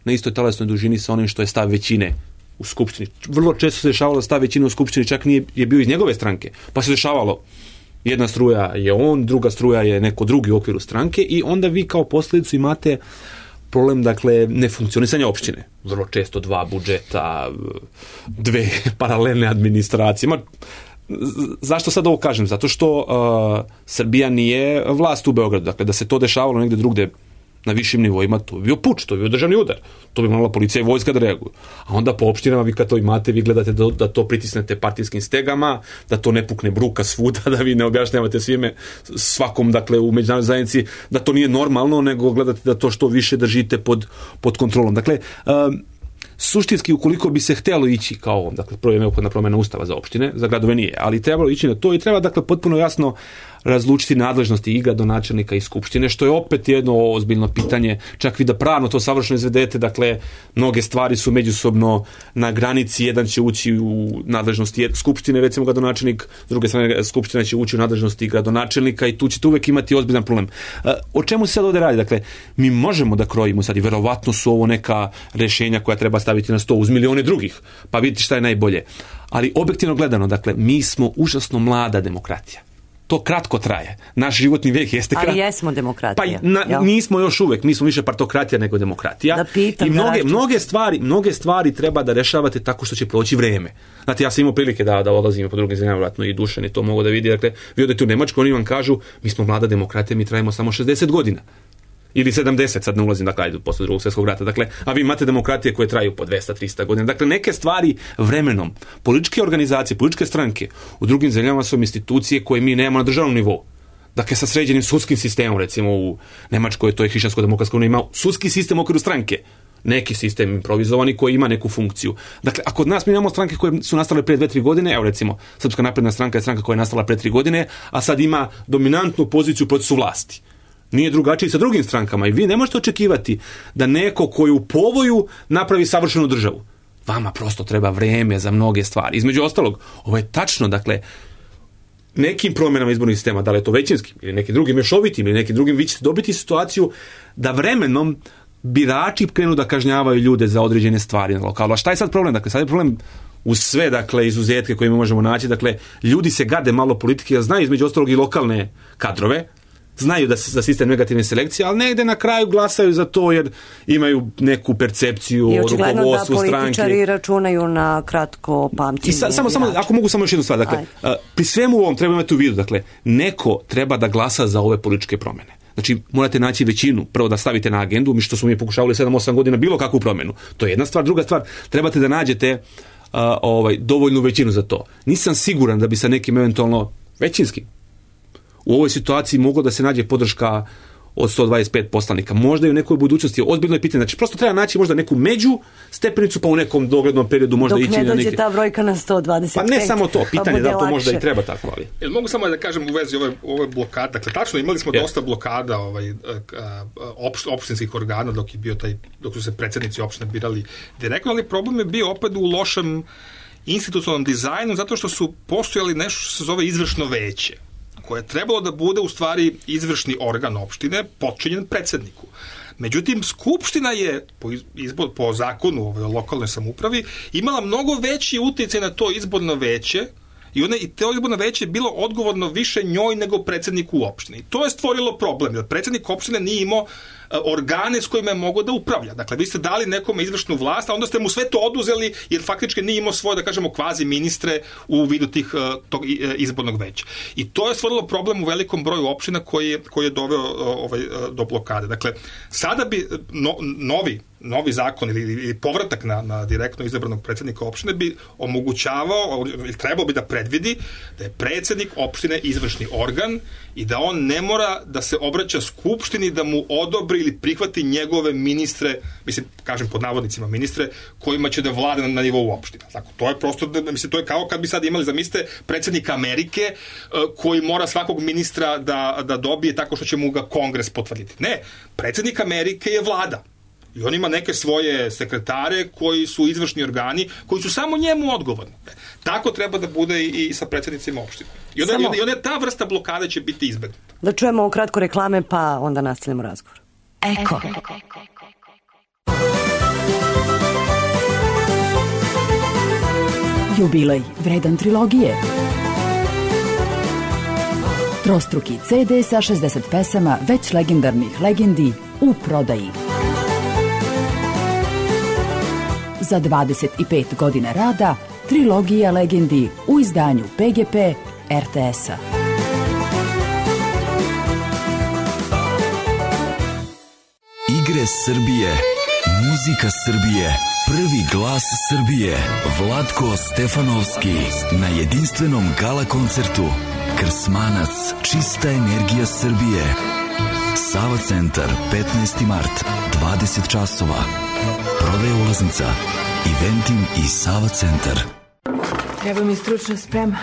na istoj talasnoj dužini sa onim što je stav većine u skupštini. Vrlo često se dešavalo da stav većine u skupštini čak nije je bio iz njegove stranke. Pa se dešavalo jedna struja je on, druga struja je neko drugi u okviru stranke i onda vi kao posljedicu imate problem, dakle, nefunkcionisanja opštine. Vrlo često dva budžeta, dve paralelne administracije. Ma, zašto sad ovo kažem? Zato što uh, Srbija nije vlast u Beogradu. Dakle, da se to dešavalo negde drugde na višim nivoima, to bi bio puč, to bi bio državni udar. To bi morala policija i vojska da reaguju. A onda po opštinama vi kad to imate, vi gledate da, da to pritisnete partijskim stegama, da to ne pukne bruka svuda, da vi ne objašnjavate svime, svakom, dakle, u međunarodnoj zajednici, da to nije normalno, nego gledate da to što više držite pod, pod kontrolom. Dakle, um, suštinski, ukoliko bi se htjelo ići kao ovom, dakle, prvo je neophodna promjena ustava za opštine, za gradove nije, ali trebalo ići na to i treba, dakle, potpuno jasno razlučiti nadležnosti i gradonačelnika i skupštine, što je opet jedno ozbiljno pitanje, čak vi da pravno to savršeno izvedete, dakle, mnoge stvari su međusobno na granici, jedan će ući u nadležnosti skupštine, recimo gradonačelnik, s druge strane skupština će ući u nadležnosti gradonačelnika i tu ćete uvek imati ozbiljan problem. O čemu se sad ovdje radi? Dakle, mi možemo da krojimo sad i verovatno su ovo neka rešenja koja treba staviti staviti na sto uz milijone drugih, pa vidite šta je najbolje. Ali objektivno gledano, dakle, mi smo užasno mlada demokratija. To kratko traje. Naš životni vijek jeste kratko. Ali jesmo demokratija. Pa na, nismo još uvek, mi smo više partokratija nego demokratija. Da pitam, I mnoge, da mnoge, stvari, mnoge stvari treba da rešavate tako što će proći vreme. Znate, ja sam imao prilike da, da odlazim po drugim zemljama, vratno i Dušan je to mogo da vidi. Dakle, vi odete u Nemačku, oni vam kažu, mi smo mlada demokratija, mi trajimo samo šezdeset godina. Ili sedamdeset, sad ne ulazim, dakle, ajde, posle drugog svjetskog rata. Dakle, a vi imate demokratije koje traju po dvesta do trista godina. Dakle, neke stvari vremenom, političke organizacije, političke stranke u drugim zemljama su institucije koje mi nemamo na državnom nivou. Dakle, sa sređenim sudskim sistemom, recimo u Nemačkoj, to je Hrišćansko-demokratska unija, ima sudski sistem u okviru stranke. Neki sistem improvizovani koji ima neku funkciju. Dakle, a kod nas mi imamo stranke koje su nastale prije dve tri godine, evo recimo, Srpska napredna stranka je stranka koja je nastala prije tri godine, a sad ima dominantnu poziciju u procesu vlasti. Nije drugačiji sa drugim strankama i vi ne možete očekivati da neko koji u povoju napravi savršenu državu. Vama prosto treba vreme za mnoge stvari. Između ostalog, ovo je tačno, dakle, nekim promjenama izbornih sistema, da li je to većinskim ili nekim drugim mešovitim ili nekim drugim, vi ćete dobiti situaciju da vremenom birači krenu da kažnjavaju ljude za određene stvari na lokalu. A šta je sad problem? Dakle, sad je problem uz sve, dakle, izuzetke koje mi možemo naći. Dakle, ljudi se gade malo politike, jer znaju između ostalog i lokalne kadrove, znaju da se za sistem negativne selekcije, ali negde na kraju glasaju za to jer imaju neku percepciju o rukovodstvu stranke. I očigledno da političari računaju na kratko pamćenje. I sa, samo, samo, ako mogu samo još jednu stvar, dakle, uh, pri svemu ovom treba imati u vidu, dakle, neko treba da glasa za ove političke promjene. Znači, morate naći većinu, prvo da stavite na agendu, mi što smo mi pokušavali sedam osam godina bilo kakvu promjenu. To je jedna stvar. Druga stvar, trebate da nađete uh, ovaj, dovoljnu većinu za to. Nisam siguran da bi sa nekim eventualno većinskim u ovoj situaciji moglo da se nađe podrška od sto dvadeset pet poslanika. Možda i u nekoj budućnosti. Ozbiljno je pitanje. Znači, prosto treba naći možda neku među stepenicu, pa u nekom doglednom periodu možda dok ići na neki... Dok ne dođe ta brojka na sto dvadeset pet. Pa ne samo to. Pitanje pa da to lakše. možda i treba tako, ali... Jel mogu samo da kažem u vezi ove, ove blokade? Dakle, tačno, imali smo yeah. dosta blokada ovaj, opšt, opštinskih organa dok je bio taj, dok su se predsjednici opštine birali direktno, ali problem je bio opet u lošem institucionalnom dizajnu, zato što su postojali nešto što se zove izvršno veće, koje je trebalo da bude u stvari izvršni organ opštine potčinjen predsjedniku. Međutim, Skupština je po, izbor, po zakonu o lokalnoj samoupravi imala mnogo veći utjecaj na to izborno veće i, one, i to izborno veće je bilo odgovorno više njoj nego predsjedniku u opštini. To je stvorilo problem, jer predsjednik opštine nije imao organe s kojima je mogao da upravlja. Dakle, vi ste dali nekome izvršnu vlast, a onda ste mu sve to oduzeli, jer faktički nije imao svoje, da kažemo, kvazi ministre u vidu tih, tog izbornog veća. I to je stvorilo problem u velikom broju opština koji je, koji je doveo ovaj, do blokade. Dakle, sada bi no, novi novi zakon ili, ili povratak na, na direktno izabranog predsjednika opštine bi omogućavao, ili trebao bi da predvidi da je predsjednik opštine izvršni organ i da on ne mora da se obraća Skupštini da mu odobri ili prihvati njegove ministre, mislim, kažem pod navodnicima ministre, kojima će da vlade na, na nivou opštine. Tako, to je prosto, mislim, to je kao kad bi sad imali, zamislite, predsjednika Amerike koji mora svakog ministra da, da dobije tako što će mu ga Kongres potvrditi. Ne, predsjednik Amerike je vlada. I on ima neke svoje sekretare koji su izvršni organi, koji su samo njemu odgovorni. Tako treba da bude i, i sa predsjednicima opštine. I onda, Samo... i onda ta vrsta blokade će biti izbegnuta. Da čujemo kratko reklame, pa onda nastavljamo razgovor. Eko. Jubilej vredan trilogije. Trostruki ce de sa šezdeset pesama već legendarnih legendi u prodaji. Za dvadeset pet godina rada, trilogija legendi u izdanju pe ge pe er te es-a. Igre Srbije, muzika Srbije, prvi glas Srbije, Vlatko Stefanovski na jedinstvenom gala koncertu Krsmanac, čista energija Srbije. Sava centar, petnaesti mart, dvadeset časova. Prodaja ulaznica, Eventim i Sava centar. Treba mi stručna sprema,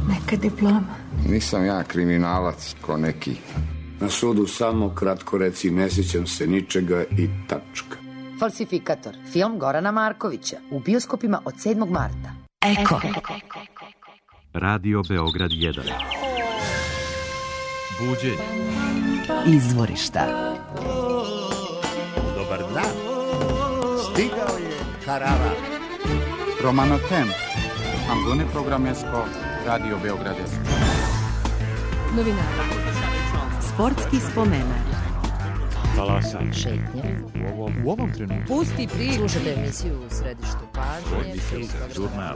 neka diploma. Nisam ja kriminalac ko neki. Na sudu samo kratko reci ne sjećam se ničega i tačka. Falsifikator, film Gorana Markovića, u bioskopima od sedmog marta. Eko. Radio Beograd jedan. Buđenje. Izvorišta. Dobar dan. Stigao je Karava. Romano Tem, Ambune Programesko, Radio Beogradesko. Novinari. Sportski spomenar. Talasaj. Šetnje. U ovom, u ovom trenutku. Pusti priče. Slušajte emisiju u središtu pažnje. Žurnal.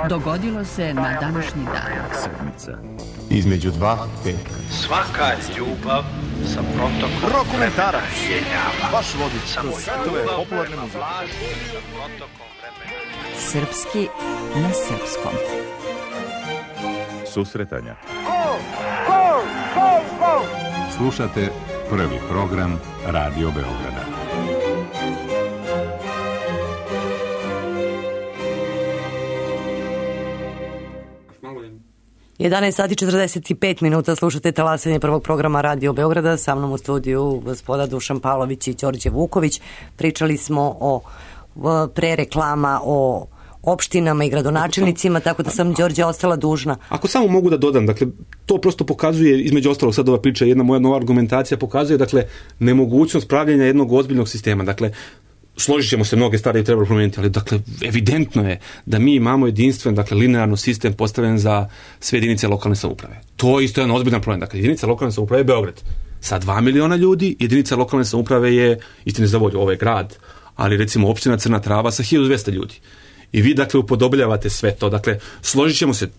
Dogodilo se na današnji dan. Sedmica. Između dva petka. Svaka ljubav sa protokom Rokomentarac. Vaš vodič kroz svetove popularne muzike. Srpski na srpskom. Susretanja. Slušate prvi program Radio Beograda. jedanaest sati četrdeset pet minuta, slušate talasanje prvog programa Radio Beograda. Sa mnom u studiju gospoda Dušan Pavlović i Đorđe Vuković. Pričali smo o pre reklama o opštinama i gradonačelnicima, tako da sam Đorđe ostala dužna. Ako samo mogu da dodam, dakle, to prosto pokazuje, između ostalog sad ova priča, jedna moja nova argumentacija pokazuje, dakle, nemogućnost pravljenja jednog ozbiljnog sistema. Dakle, složit ćemo se, mnoge stvari treba promijeniti, ali dakle, evidentno je da mi imamo jedinstven, dakle, linearno sistem postavljen za sve jedinice lokalne samouprave. To je isto jedan ozbiljan problem. Dakle, jedinica lokalne samouprave je Beograd sa dva miliona ljudi, jedinica lokalne samouprave je, istine za volju, ovaj grad, ali recimo opština Crna Trava sa hiljadu dvesta ljudi. I vi, dakle, upodobljavate sve to. Dakle, složit ćemo se,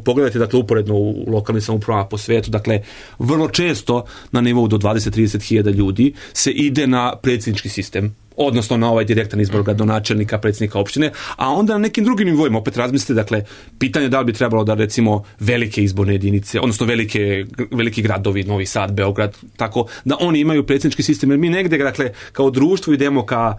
pogledajte, dakle, uporedno u lokalnim samoupravama po svetu, dakle, vrlo često na nivou do dvadeset do trideset hiljada ljudi se ide na predsjednički sistem, odnosno na ovaj direktan izbor gradonačelnika, predsjednika opštine, a onda na nekim drugim nivoima opet razmislite, dakle, pitanje da li bi trebalo da, recimo, velike izborne jedinice, odnosno velike, veliki gradovi, Novi Sad, Beograd, tako, da oni imaju predsjednički sistem, jer mi negde, dakle, kao društvo idemo ka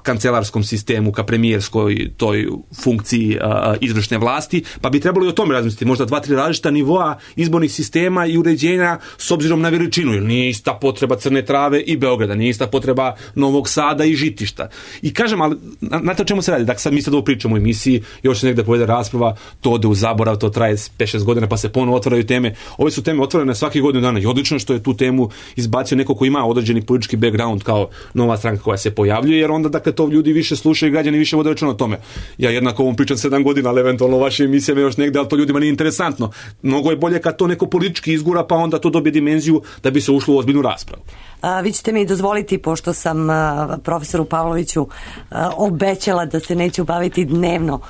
kancelarskom sistemu, ka premijerskoj toj funkciji a, izvršne vlasti, pa bi trebalo i o tome razmisliti, možda dva, tri različita nivoa izbornih sistema i uređenja s obzirom na veličinu, jer nije ista potreba Crne Trave i Beograda, nije ista potreba Novog Sada i Žitišta. I kažem, ali znate o čemu se radi? Dakle, sad mi sad ovo pričamo u emisiji, još se negde povede rasprava, to ode u zaborav, to traje pet šest godina, pa se ponovo otvaraju teme. Ove su teme otvorene svaki godinu dana i odlično što je tu temu izbacio neko ko ima određeni politički background kao nova stranka koja se pojavljuje, jer onda, dakle, to ljudi više slušaju, građani više vode računa o tome. Ja jednako ovom pričam sedam godina, ali eventualno vaše emisije još negde, ali to ljudima nije interesantno. Mnogo je bolje kad to neko politički izgura, pa onda to dobije dimenziju da bi se ušlo u ozbiljnu raspravu. A, vi ćete mi dozvoliti, pošto sam a, profesoru Pavloviću a, obećala da se neću baviti dnevno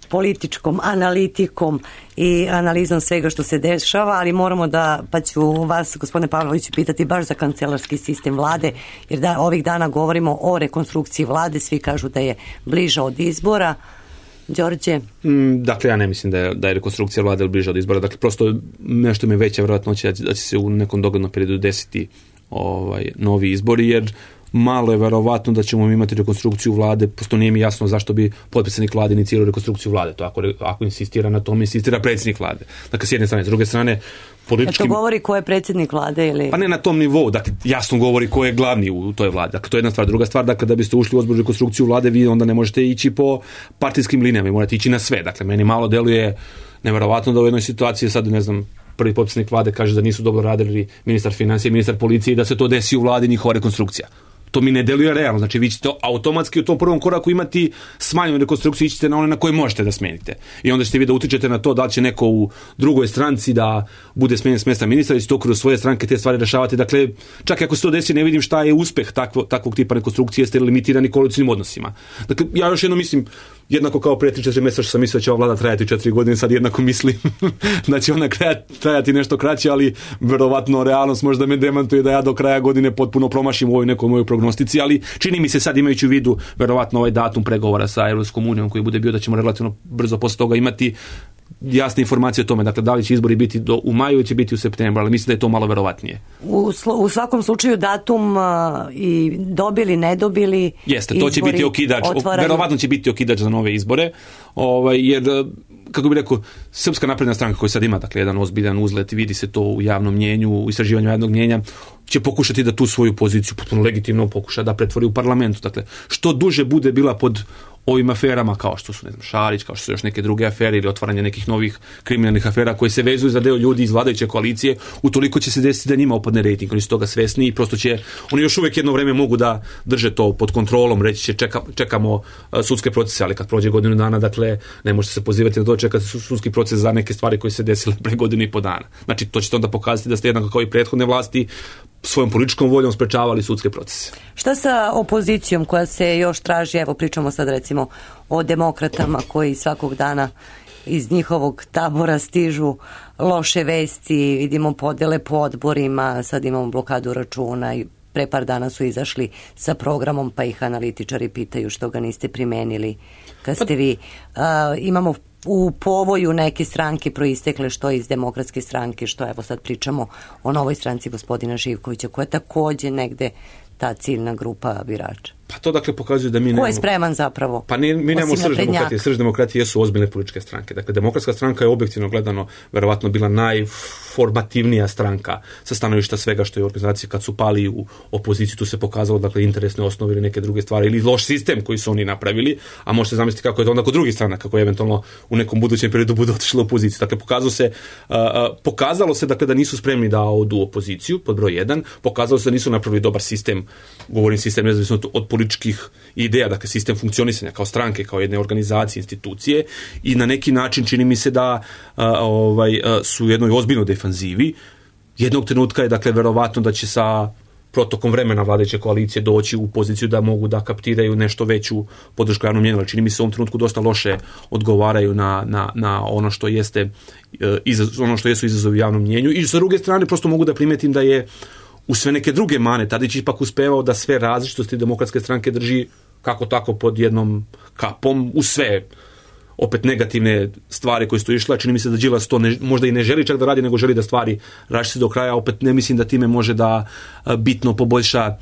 političkom analitikom i analizom svega što se dešava, ali moramo da, pa ću vas, gospodine Pavloviću, pitati baš za kancelarski sistem vlade, jer da ovih dana govorimo o rekonstrukciji vlade, svi kažu da je bliža od izbora. Đorđe? Mm, dakle, ja ne mislim da je, da je rekonstrukcija vlade bliža od izbora. Dakle, prosto nešto mi je veća vjerojatnoća da će se u nekom doglednom periodu desiti ovaj, novi izbori, jer malo je verovatno da ćemo imati rekonstrukciju vlade, prosto nije mi jasno zašto bi potpredsjednik vlade inicirao rekonstrukciju vlade. To ako, ako insistira na tome, insistira predsjednik vlade. Dakle, s jedne strane, s druge strane, politički... E to govori ko je predsjednik vlade ili... Pa ne na tom nivou, dakle, jasno govori ko je glavni u toj vladi. Dakle, to je jedna stvar. Druga stvar, dakle, da biste ušli u ozbiljnu rekonstrukciju vlade, vi onda ne možete ići po partijskim linijama, vi morate ići na sve. Dakle, meni malo deluje neverovatno da u jednoj situaciji sad, ne znam, prvi potpredsjednik vlade kaže da nisu dobro radili ministar financija i ministar policije i da se to desi u vladi njihova rekonstrukcija. To mi ne deluje realno, znači vi ćete automatski u tom prvom koraku imati smanjenu rekonstrukciju, ićete na one na koje možete da smenite. I onda ćete vi da utičete na to da li će neko u drugoj stranci da bude smenjen s mjesta ministra i će to kroz svoje stranke te stvari rešavati. Dakle, čak i ako se to desi, ne vidim šta je uspeh takvo, takvog tipa rekonstrukcije, jeste limitirani koalicijnim odnosima. Dakle, ja još jedno mislim, jednako kao prije tri četiri mjeseca što sam mislio da će ova vlada trajati četiri godine, sad jednako mislim da će ona trajati nešto kraće, ali verovatno realnost možda me demantuje da ja do kraja godine potpuno promašim u ovoj nekoj mojoj prognostici, ali čini mi se sad, imajući u vidu verovatno ovaj datum pregovora sa Europskom unijom koji bude bio, da ćemo relativno brzo posle toga imati jasne informacije o tome, dakle, da li će izbori biti do, u maju ili će biti u septembru, ali mislim da je to malo verovatnije. U, u svakom slučaju datum uh, i dobili, ne dobili jeste, to će biti okidač, otvaraju... verovatno će biti okidač za nove izbore, ovaj, jer, kako bih rekao, Srpska napredna stranka koja sad ima, dakle, jedan ozbiljan uzlet, vidi se to u javnom mnjenju, u istraživanju javnog mnjenja, će pokušati da tu svoju poziciju potpuno legitimno pokuša da pretvori u parlamentu. Dakle, što duže bude bila pod ovim aferama kao što su, ne znam, Šarić, kao što su još neke druge afere ili otvaranje nekih novih kriminalnih afera koji se vezuju za deo ljudi iz vladajuće koalicije, utoliko će se desiti da njima opadne rejting. Oni su toga svesni i prosto će, oni još uvijek jedno vreme mogu da drže to pod kontrolom, reći će čeka, čekamo uh, sudske procese, ali kad prođe godinu dana, dakle, ne možete se pozivati na to, čekati sudski proces za neke stvari koje se desile pre godinu i po dana. Znači, to će onda pokazati da ste jednako kao i prethodne vlasti svojom političkom voljom sprečavali sudske procese. Šta sa opozicijom koja se još traži, evo pričamo sad recimo o demokratama koji svakog dana iz njihovog tabora stižu loše vesti, vidimo podele po odborima, sad imamo blokadu računa i pre par dana su izašli sa programom pa ih analitičari pitaju što ga niste primenili kad ste vi. Uh, imamo u povoju neke stranke proistekle što iz Demokratske stranke, što evo sad pričamo o novoj stranci gospodina Živkovića koja je takođe negde ta ciljna grupa birača. Pa to dakle pokazuje da mi nemamo... Ko je spreman zapravo? Pa ni, mi nemamo srž demokratije. Srž demokratije jesu ozbiljne političke stranke. Dakle, Demokratska stranka je objektivno gledano verovatno bila najformativnija stranka sa stanovišta svega što je u organizaciji. Kad su pali u opoziciju, tu se pokazalo dakle interesne osnove ili neke druge stvari ili loš sistem koji su oni napravili, a možete zamisliti kako je to onda kod drugih strana, kako je eventualno u nekom budućem periodu bude otišlo u opoziciju. Dakle, pokazalo se, uh, uh, pokazalo se dakle, da nisu spremni da odu u opoziciju, pod broj jedan, pokazalo se da nisu napravili dobar sistem, govorim sistem nezavisno od političkih ideja, dakle sistem funkcionisanja kao stranke, kao jedne organizacije, institucije i na neki način čini mi se da a, ovaj, a, su u jednoj ozbiljnoj defanzivi. Jednog trenutka je dakle verovatno da će sa protokom vremena vladajuće koalicije doći u poziciju da mogu da kaptiraju nešto veću podršku javnom mnjenju, ali čini mi se u ovom trenutku dosta loše odgovaraju na, na, na ono što jeste izaz, ono što jesu izazovi javnom mnjenju i sa druge strane prosto mogu da primetim da je u sve neke druge mane, Tadić ipak uspevao da sve različitosti Demokratske stranke drži kako tako pod jednom kapom, u sve opet negativne stvari koje su išle. Čini mi se da Đilas to ne, možda i ne želi čak da radi, nego želi da stvari rašči do kraja. Opet ne mislim da time može da a, bitno poboljša a,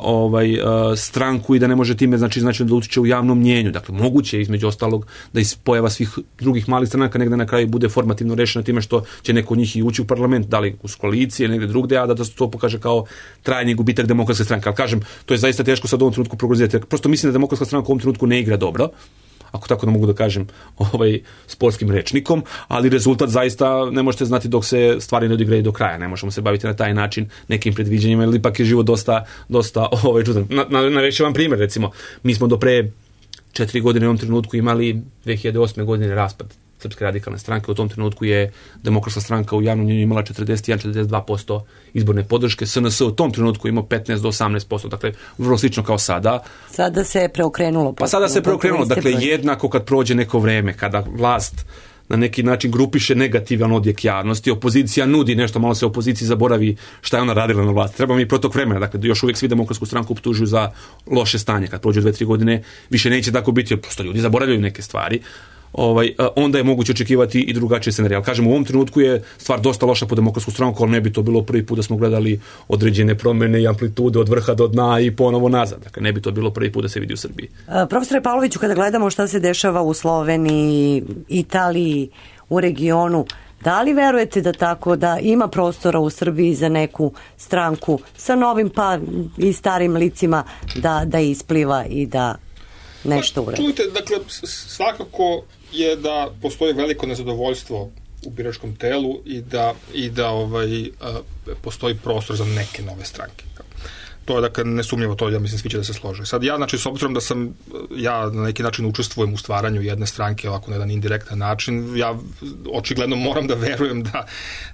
ovaj, a, stranku i da ne može time znači, znači da utiče u javnom mnjenju. Dakle, moguće je između ostalog da iz pojava svih drugih malih stranaka negde na kraju bude formativno rešeno time što će neko od njih i ući u parlament, da li uz koalicije ili negde drugde, a da se to pokaže kao trajni gubitak Demokratske stranke. Ali kažem, to je zaista teško sad u ovom trenutku prognozirati. Prosto mislim da Demokratska stranka u ovom trenutku ne igra dobro, ako tako da mogu da kažem ovaj sportskim rečnikom, ali rezultat zaista ne možete znati dok se stvari ne odigraju do kraja. Ne možemo se baviti na taj način nekim predviđanjima, jer ipak je život dosta, dosta ovaj, čudan. Na, na, navešću vam primjer, recimo, mi smo do pre četiri godine u ovom trenutku imali dve hiljade osme godine raspad Srpske radikalne stranke. U tom trenutku je Demokratska stranka u javnom mnjenju imala četrdeset jedan do četrdeset dva posto izborne podrške. S N S u tom trenutku imao petnaest do osamnaest posto, dakle vrlo slično kao sada. Sada se je preokrenulo. Pa sada se preokrenulo, dakle jednako kad prođe neko vreme, kada vlast na neki način grupiše negativan odjek javnosti, opozicija nudi nešto, malo se opoziciji zaboravi šta je ona radila na vlasti. Treba mi protok vremena, dakle još uvijek svi Demokratsku stranku optužuju za loše stanje. Kad prođe dve tri godine, više neće tako biti, jer prosto ljudi zaboravljaju neke stvari. Ovaj, onda je moguće očekivati i drugačije scenarije. Ali kažem, u ovom trenutku je stvar dosta loša po Demokratsku stranku, ali ne bi to bilo prvi put da smo gledali određene promjene i amplitude od vrha do dna i ponovo nazad. Dakle, ne bi to bilo prvi put da se vidi u Srbiji. Profesore Pavloviću, kada gledamo šta se dešava u Sloveniji, Italiji, u regionu, da li verujete da tako da ima prostora u Srbiji za neku stranku sa novim pa i starim licima da, da ispliva i da nešto uredi? Čujte, dakle, svakako je da postoji veliko nezadovoljstvo u biračkom telu i da, i da ovaj, a, postoji prostor za neke nove stranke. To je, dakle, nesumnjivo, to ja mislim svi će da se slože. Sad ja, znači, s obzirom da sam, ja na neki način učestvujem u stvaranju jedne stranke ovako na jedan indirektan način, ja očigledno moram da verujem da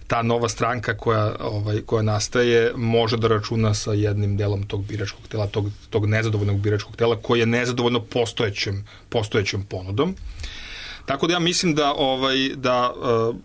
ta nova stranka koja, ovaj, koja nastaje može da računa sa jednim delom tog biračkog tela, tog, tog nezadovoljnog biračkog tela koji je nezadovoljno postojećem, postojećem ponudom. Tako da ja mislim da ovaj da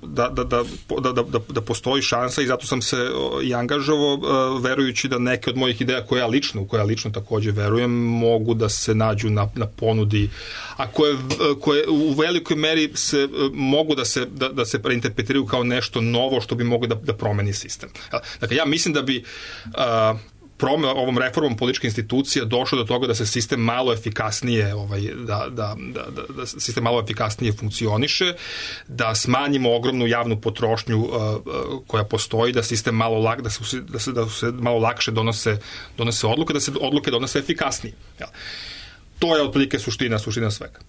da da da da da, da postoji šansa i zato sam se i angažovao verujući da neke od mojih ideja koje ja lično, u koje ja lično takođe verujem, mogu da se nađu na na ponudi, a koje koje u velikoj meri se mogu da se da, da se reinterpretiraju kao nešto novo što bi moglo da da promeni sistem. Dakle, ja mislim da bi uh, Prome, ovom reformom političke institucije došlo do toga da se sistem malo efikasnije ovaj, da, da, da, da sistem malo efikasnije funkcioniše, da smanjimo ogromnu javnu potrošnju uh, koja postoji, da sistem malo lak, da se, da se, da se malo lakše donose, donose odluke, da se odluke donose efikasnije. Ja. to je otprilike suština, suština svega.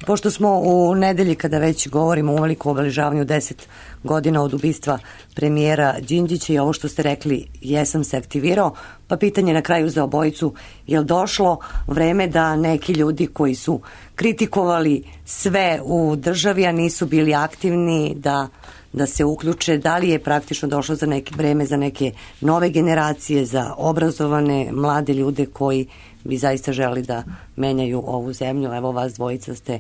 Pošto smo u nedelji, kada već govorimo o veliku obeležavanju deset godina od ubistva premijera Đinđića i ovo što ste rekli, jesam se aktivirao, pa pitanje na kraju za obojicu, je li došlo vreme da neki ljudi koji su kritikovali sve u državi, a nisu bili aktivni, da, da se uključe, da li je praktično došlo za neke vreme za neke nove generacije, za obrazovane mlade ljude koji bi zaista želi da menjaju ovu zemlju? Evo, vas dvojica ste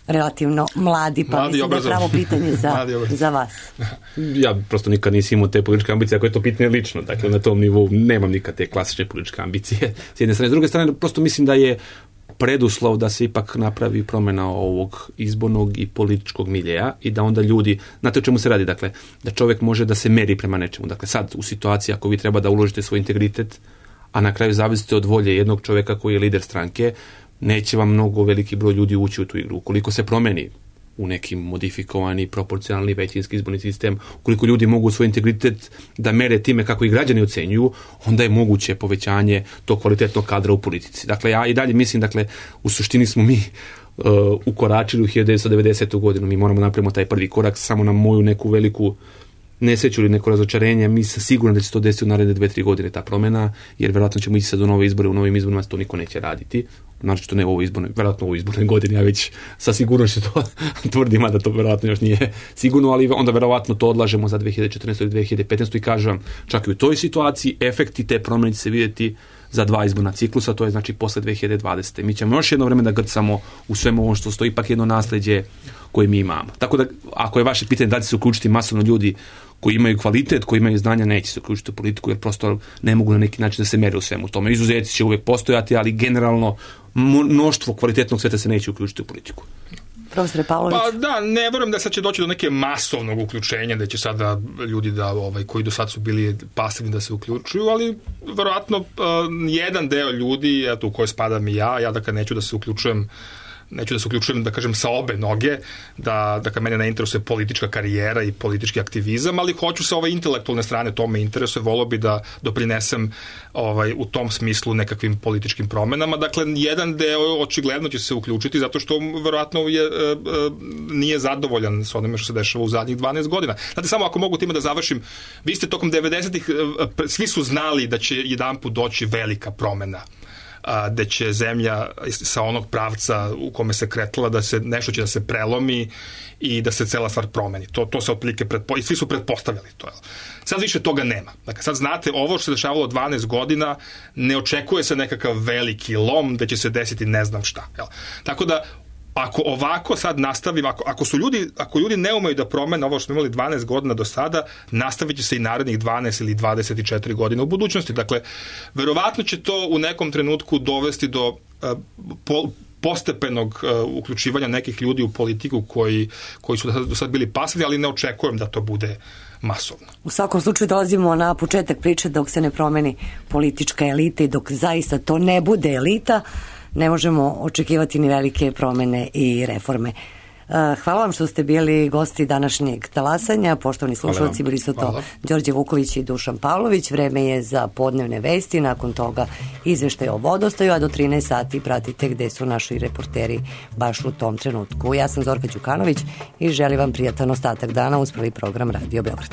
relativno mladi, pa mladi mislim da je pravo pitanje za, za vas. Ja prosto nikad nisam imao te političke ambicije, ako je to pitanje lično, dakle na tom nivou nemam nikad te klasične političke ambicije s jedne strane. S druge strane, prosto mislim da je preduslov da se ipak napravi promjena ovog izbornog i političkog miljeja i da onda ljudi, znate o čemu se radi, dakle, da čovjek može da se meri prema nečemu. Dakle, sad u situaciji ako vi treba da uložite svoj integritet, a na kraju zavisite od volje jednog čovjeka koji je lider stranke, neće vam mnogo veliki broj ljudi ući u tu igru. Ukoliko se promeni u neki modifikovani, proporcionalni većinski izborni sistem, ukoliko ljudi mogu svoj integritet da mere time kako i građani ocenjuju, onda je moguće povećanje tog kvalitetnog kadra u politici. Dakle, ja i dalje mislim, dakle, u suštini smo mi uh, ukoračili u hiljadu devetsto devedesetu godinu. Mi moramo napraviti taj prvi korak, samo na moju neku veliku nesreću ili neko razočarenje, mi se sigurno da će to desiti u naredne dve, tri godine ta promjena, jer vjerojatno ćemo ići sad u nove izbore, u novim izborima to niko neće raditi. Znači to ne u ovoj izbornoj, vjerojatno u ovoj izbornoj godini, ja već sa sigurnošću to tvrdim, da to vjerojatno još nije sigurno, ali onda vjerojatno to odlažemo za dve hiljade četrnaestu ili dve hiljade petnaestu i kažem vam, čak i u toj situaciji efekti te promjene će se vidjeti za dva izborna ciklusa, to je znači posle dve hiljade dvadesete. Mi ćemo još jedno vrijeme da grcamo u svemu ovo što stoji, ipak jedno nasljeđe koje mi imamo. Tako da, ako je vaše pitanje da će se uključiti masovno ljudi koji imaju kvalitet, koji imaju znanja, neće se uključiti u politiku, jer prosto ne mogu na neki način da se mere u svemu tome. Izuzeci će uvijek postojati, ali generalno mnoštvo kvalitetnog sveta se neće uključiti u politiku. Profesore Pavlović. Pa da, ne vjerujem da sad će doći do neke masovnog uključenja, da će sada ljudi da, ovaj, koji do sad su bili pasivni da se uključuju, ali vjerojatno uh, jedan deo ljudi, eto u kojoj spadam i ja, ja dakle neću da se uključujem neću da se uključujem, da kažem, sa obe noge, da, da ka mene ne interesuje politička karijera i politički aktivizam, ali hoću sa ove intelektualne strane, to me interesuje, volio bi da doprinesem ovaj, u tom smislu nekakvim političkim promenama. Dakle, jedan deo očigledno će se uključiti zato što verovatno je, e, e, nije zadovoljan s onime što se dešava u zadnjih dvanaest godina. Znate, samo ako mogu time da završim, vi ste tokom devedesetih, e, svi su znali da će jedanput doći velika promena, da će zemlja sa onog pravca u kome se kretala, da se nešto će da se prelomi i da se cela stvar promeni. To, to se otprilike pretpo... i svi su pretpostavljali to. Sad više toga nema. Dakle, sad znate, ovo što se dešavalo dvanaest godina, ne očekuje se nekakav veliki lom da će se desiti ne znam šta. Jel? Tako da, ako ovako sad nastavim, ako, ako su ljudi, ako ljudi ne umeju da promene ovo što smo imali dvanaest godina do sada, nastavit će se i narednih dvanaest ili dvadeset četiri godine u budućnosti. Dakle, verovatno će to u nekom trenutku dovesti do uh, po, postepenog uh, uključivanja nekih ljudi u politiku koji, koji su do sad, do sad bili pasivni, ali ne očekujem da to bude masovno. U svakom slučaju dolazimo na početak priče dok se ne promeni politička elita i dok zaista to ne bude elita, ne možemo očekivati ni velike promjene i reforme. Hvala vam što ste bili gosti današnjeg talasanja. Poštovani slušalci, bili su to Đorđe Vuković i Dušan Pavlović. Vreme je za podnevne vesti, nakon toga izveštaj o vodostaju, a do trinaest sati pratite gde su naši reporteri baš u tom trenutku. Ja sam Zorka Đukanović i želim vam prijatan ostatak dana uz prvi program Radio Beograd.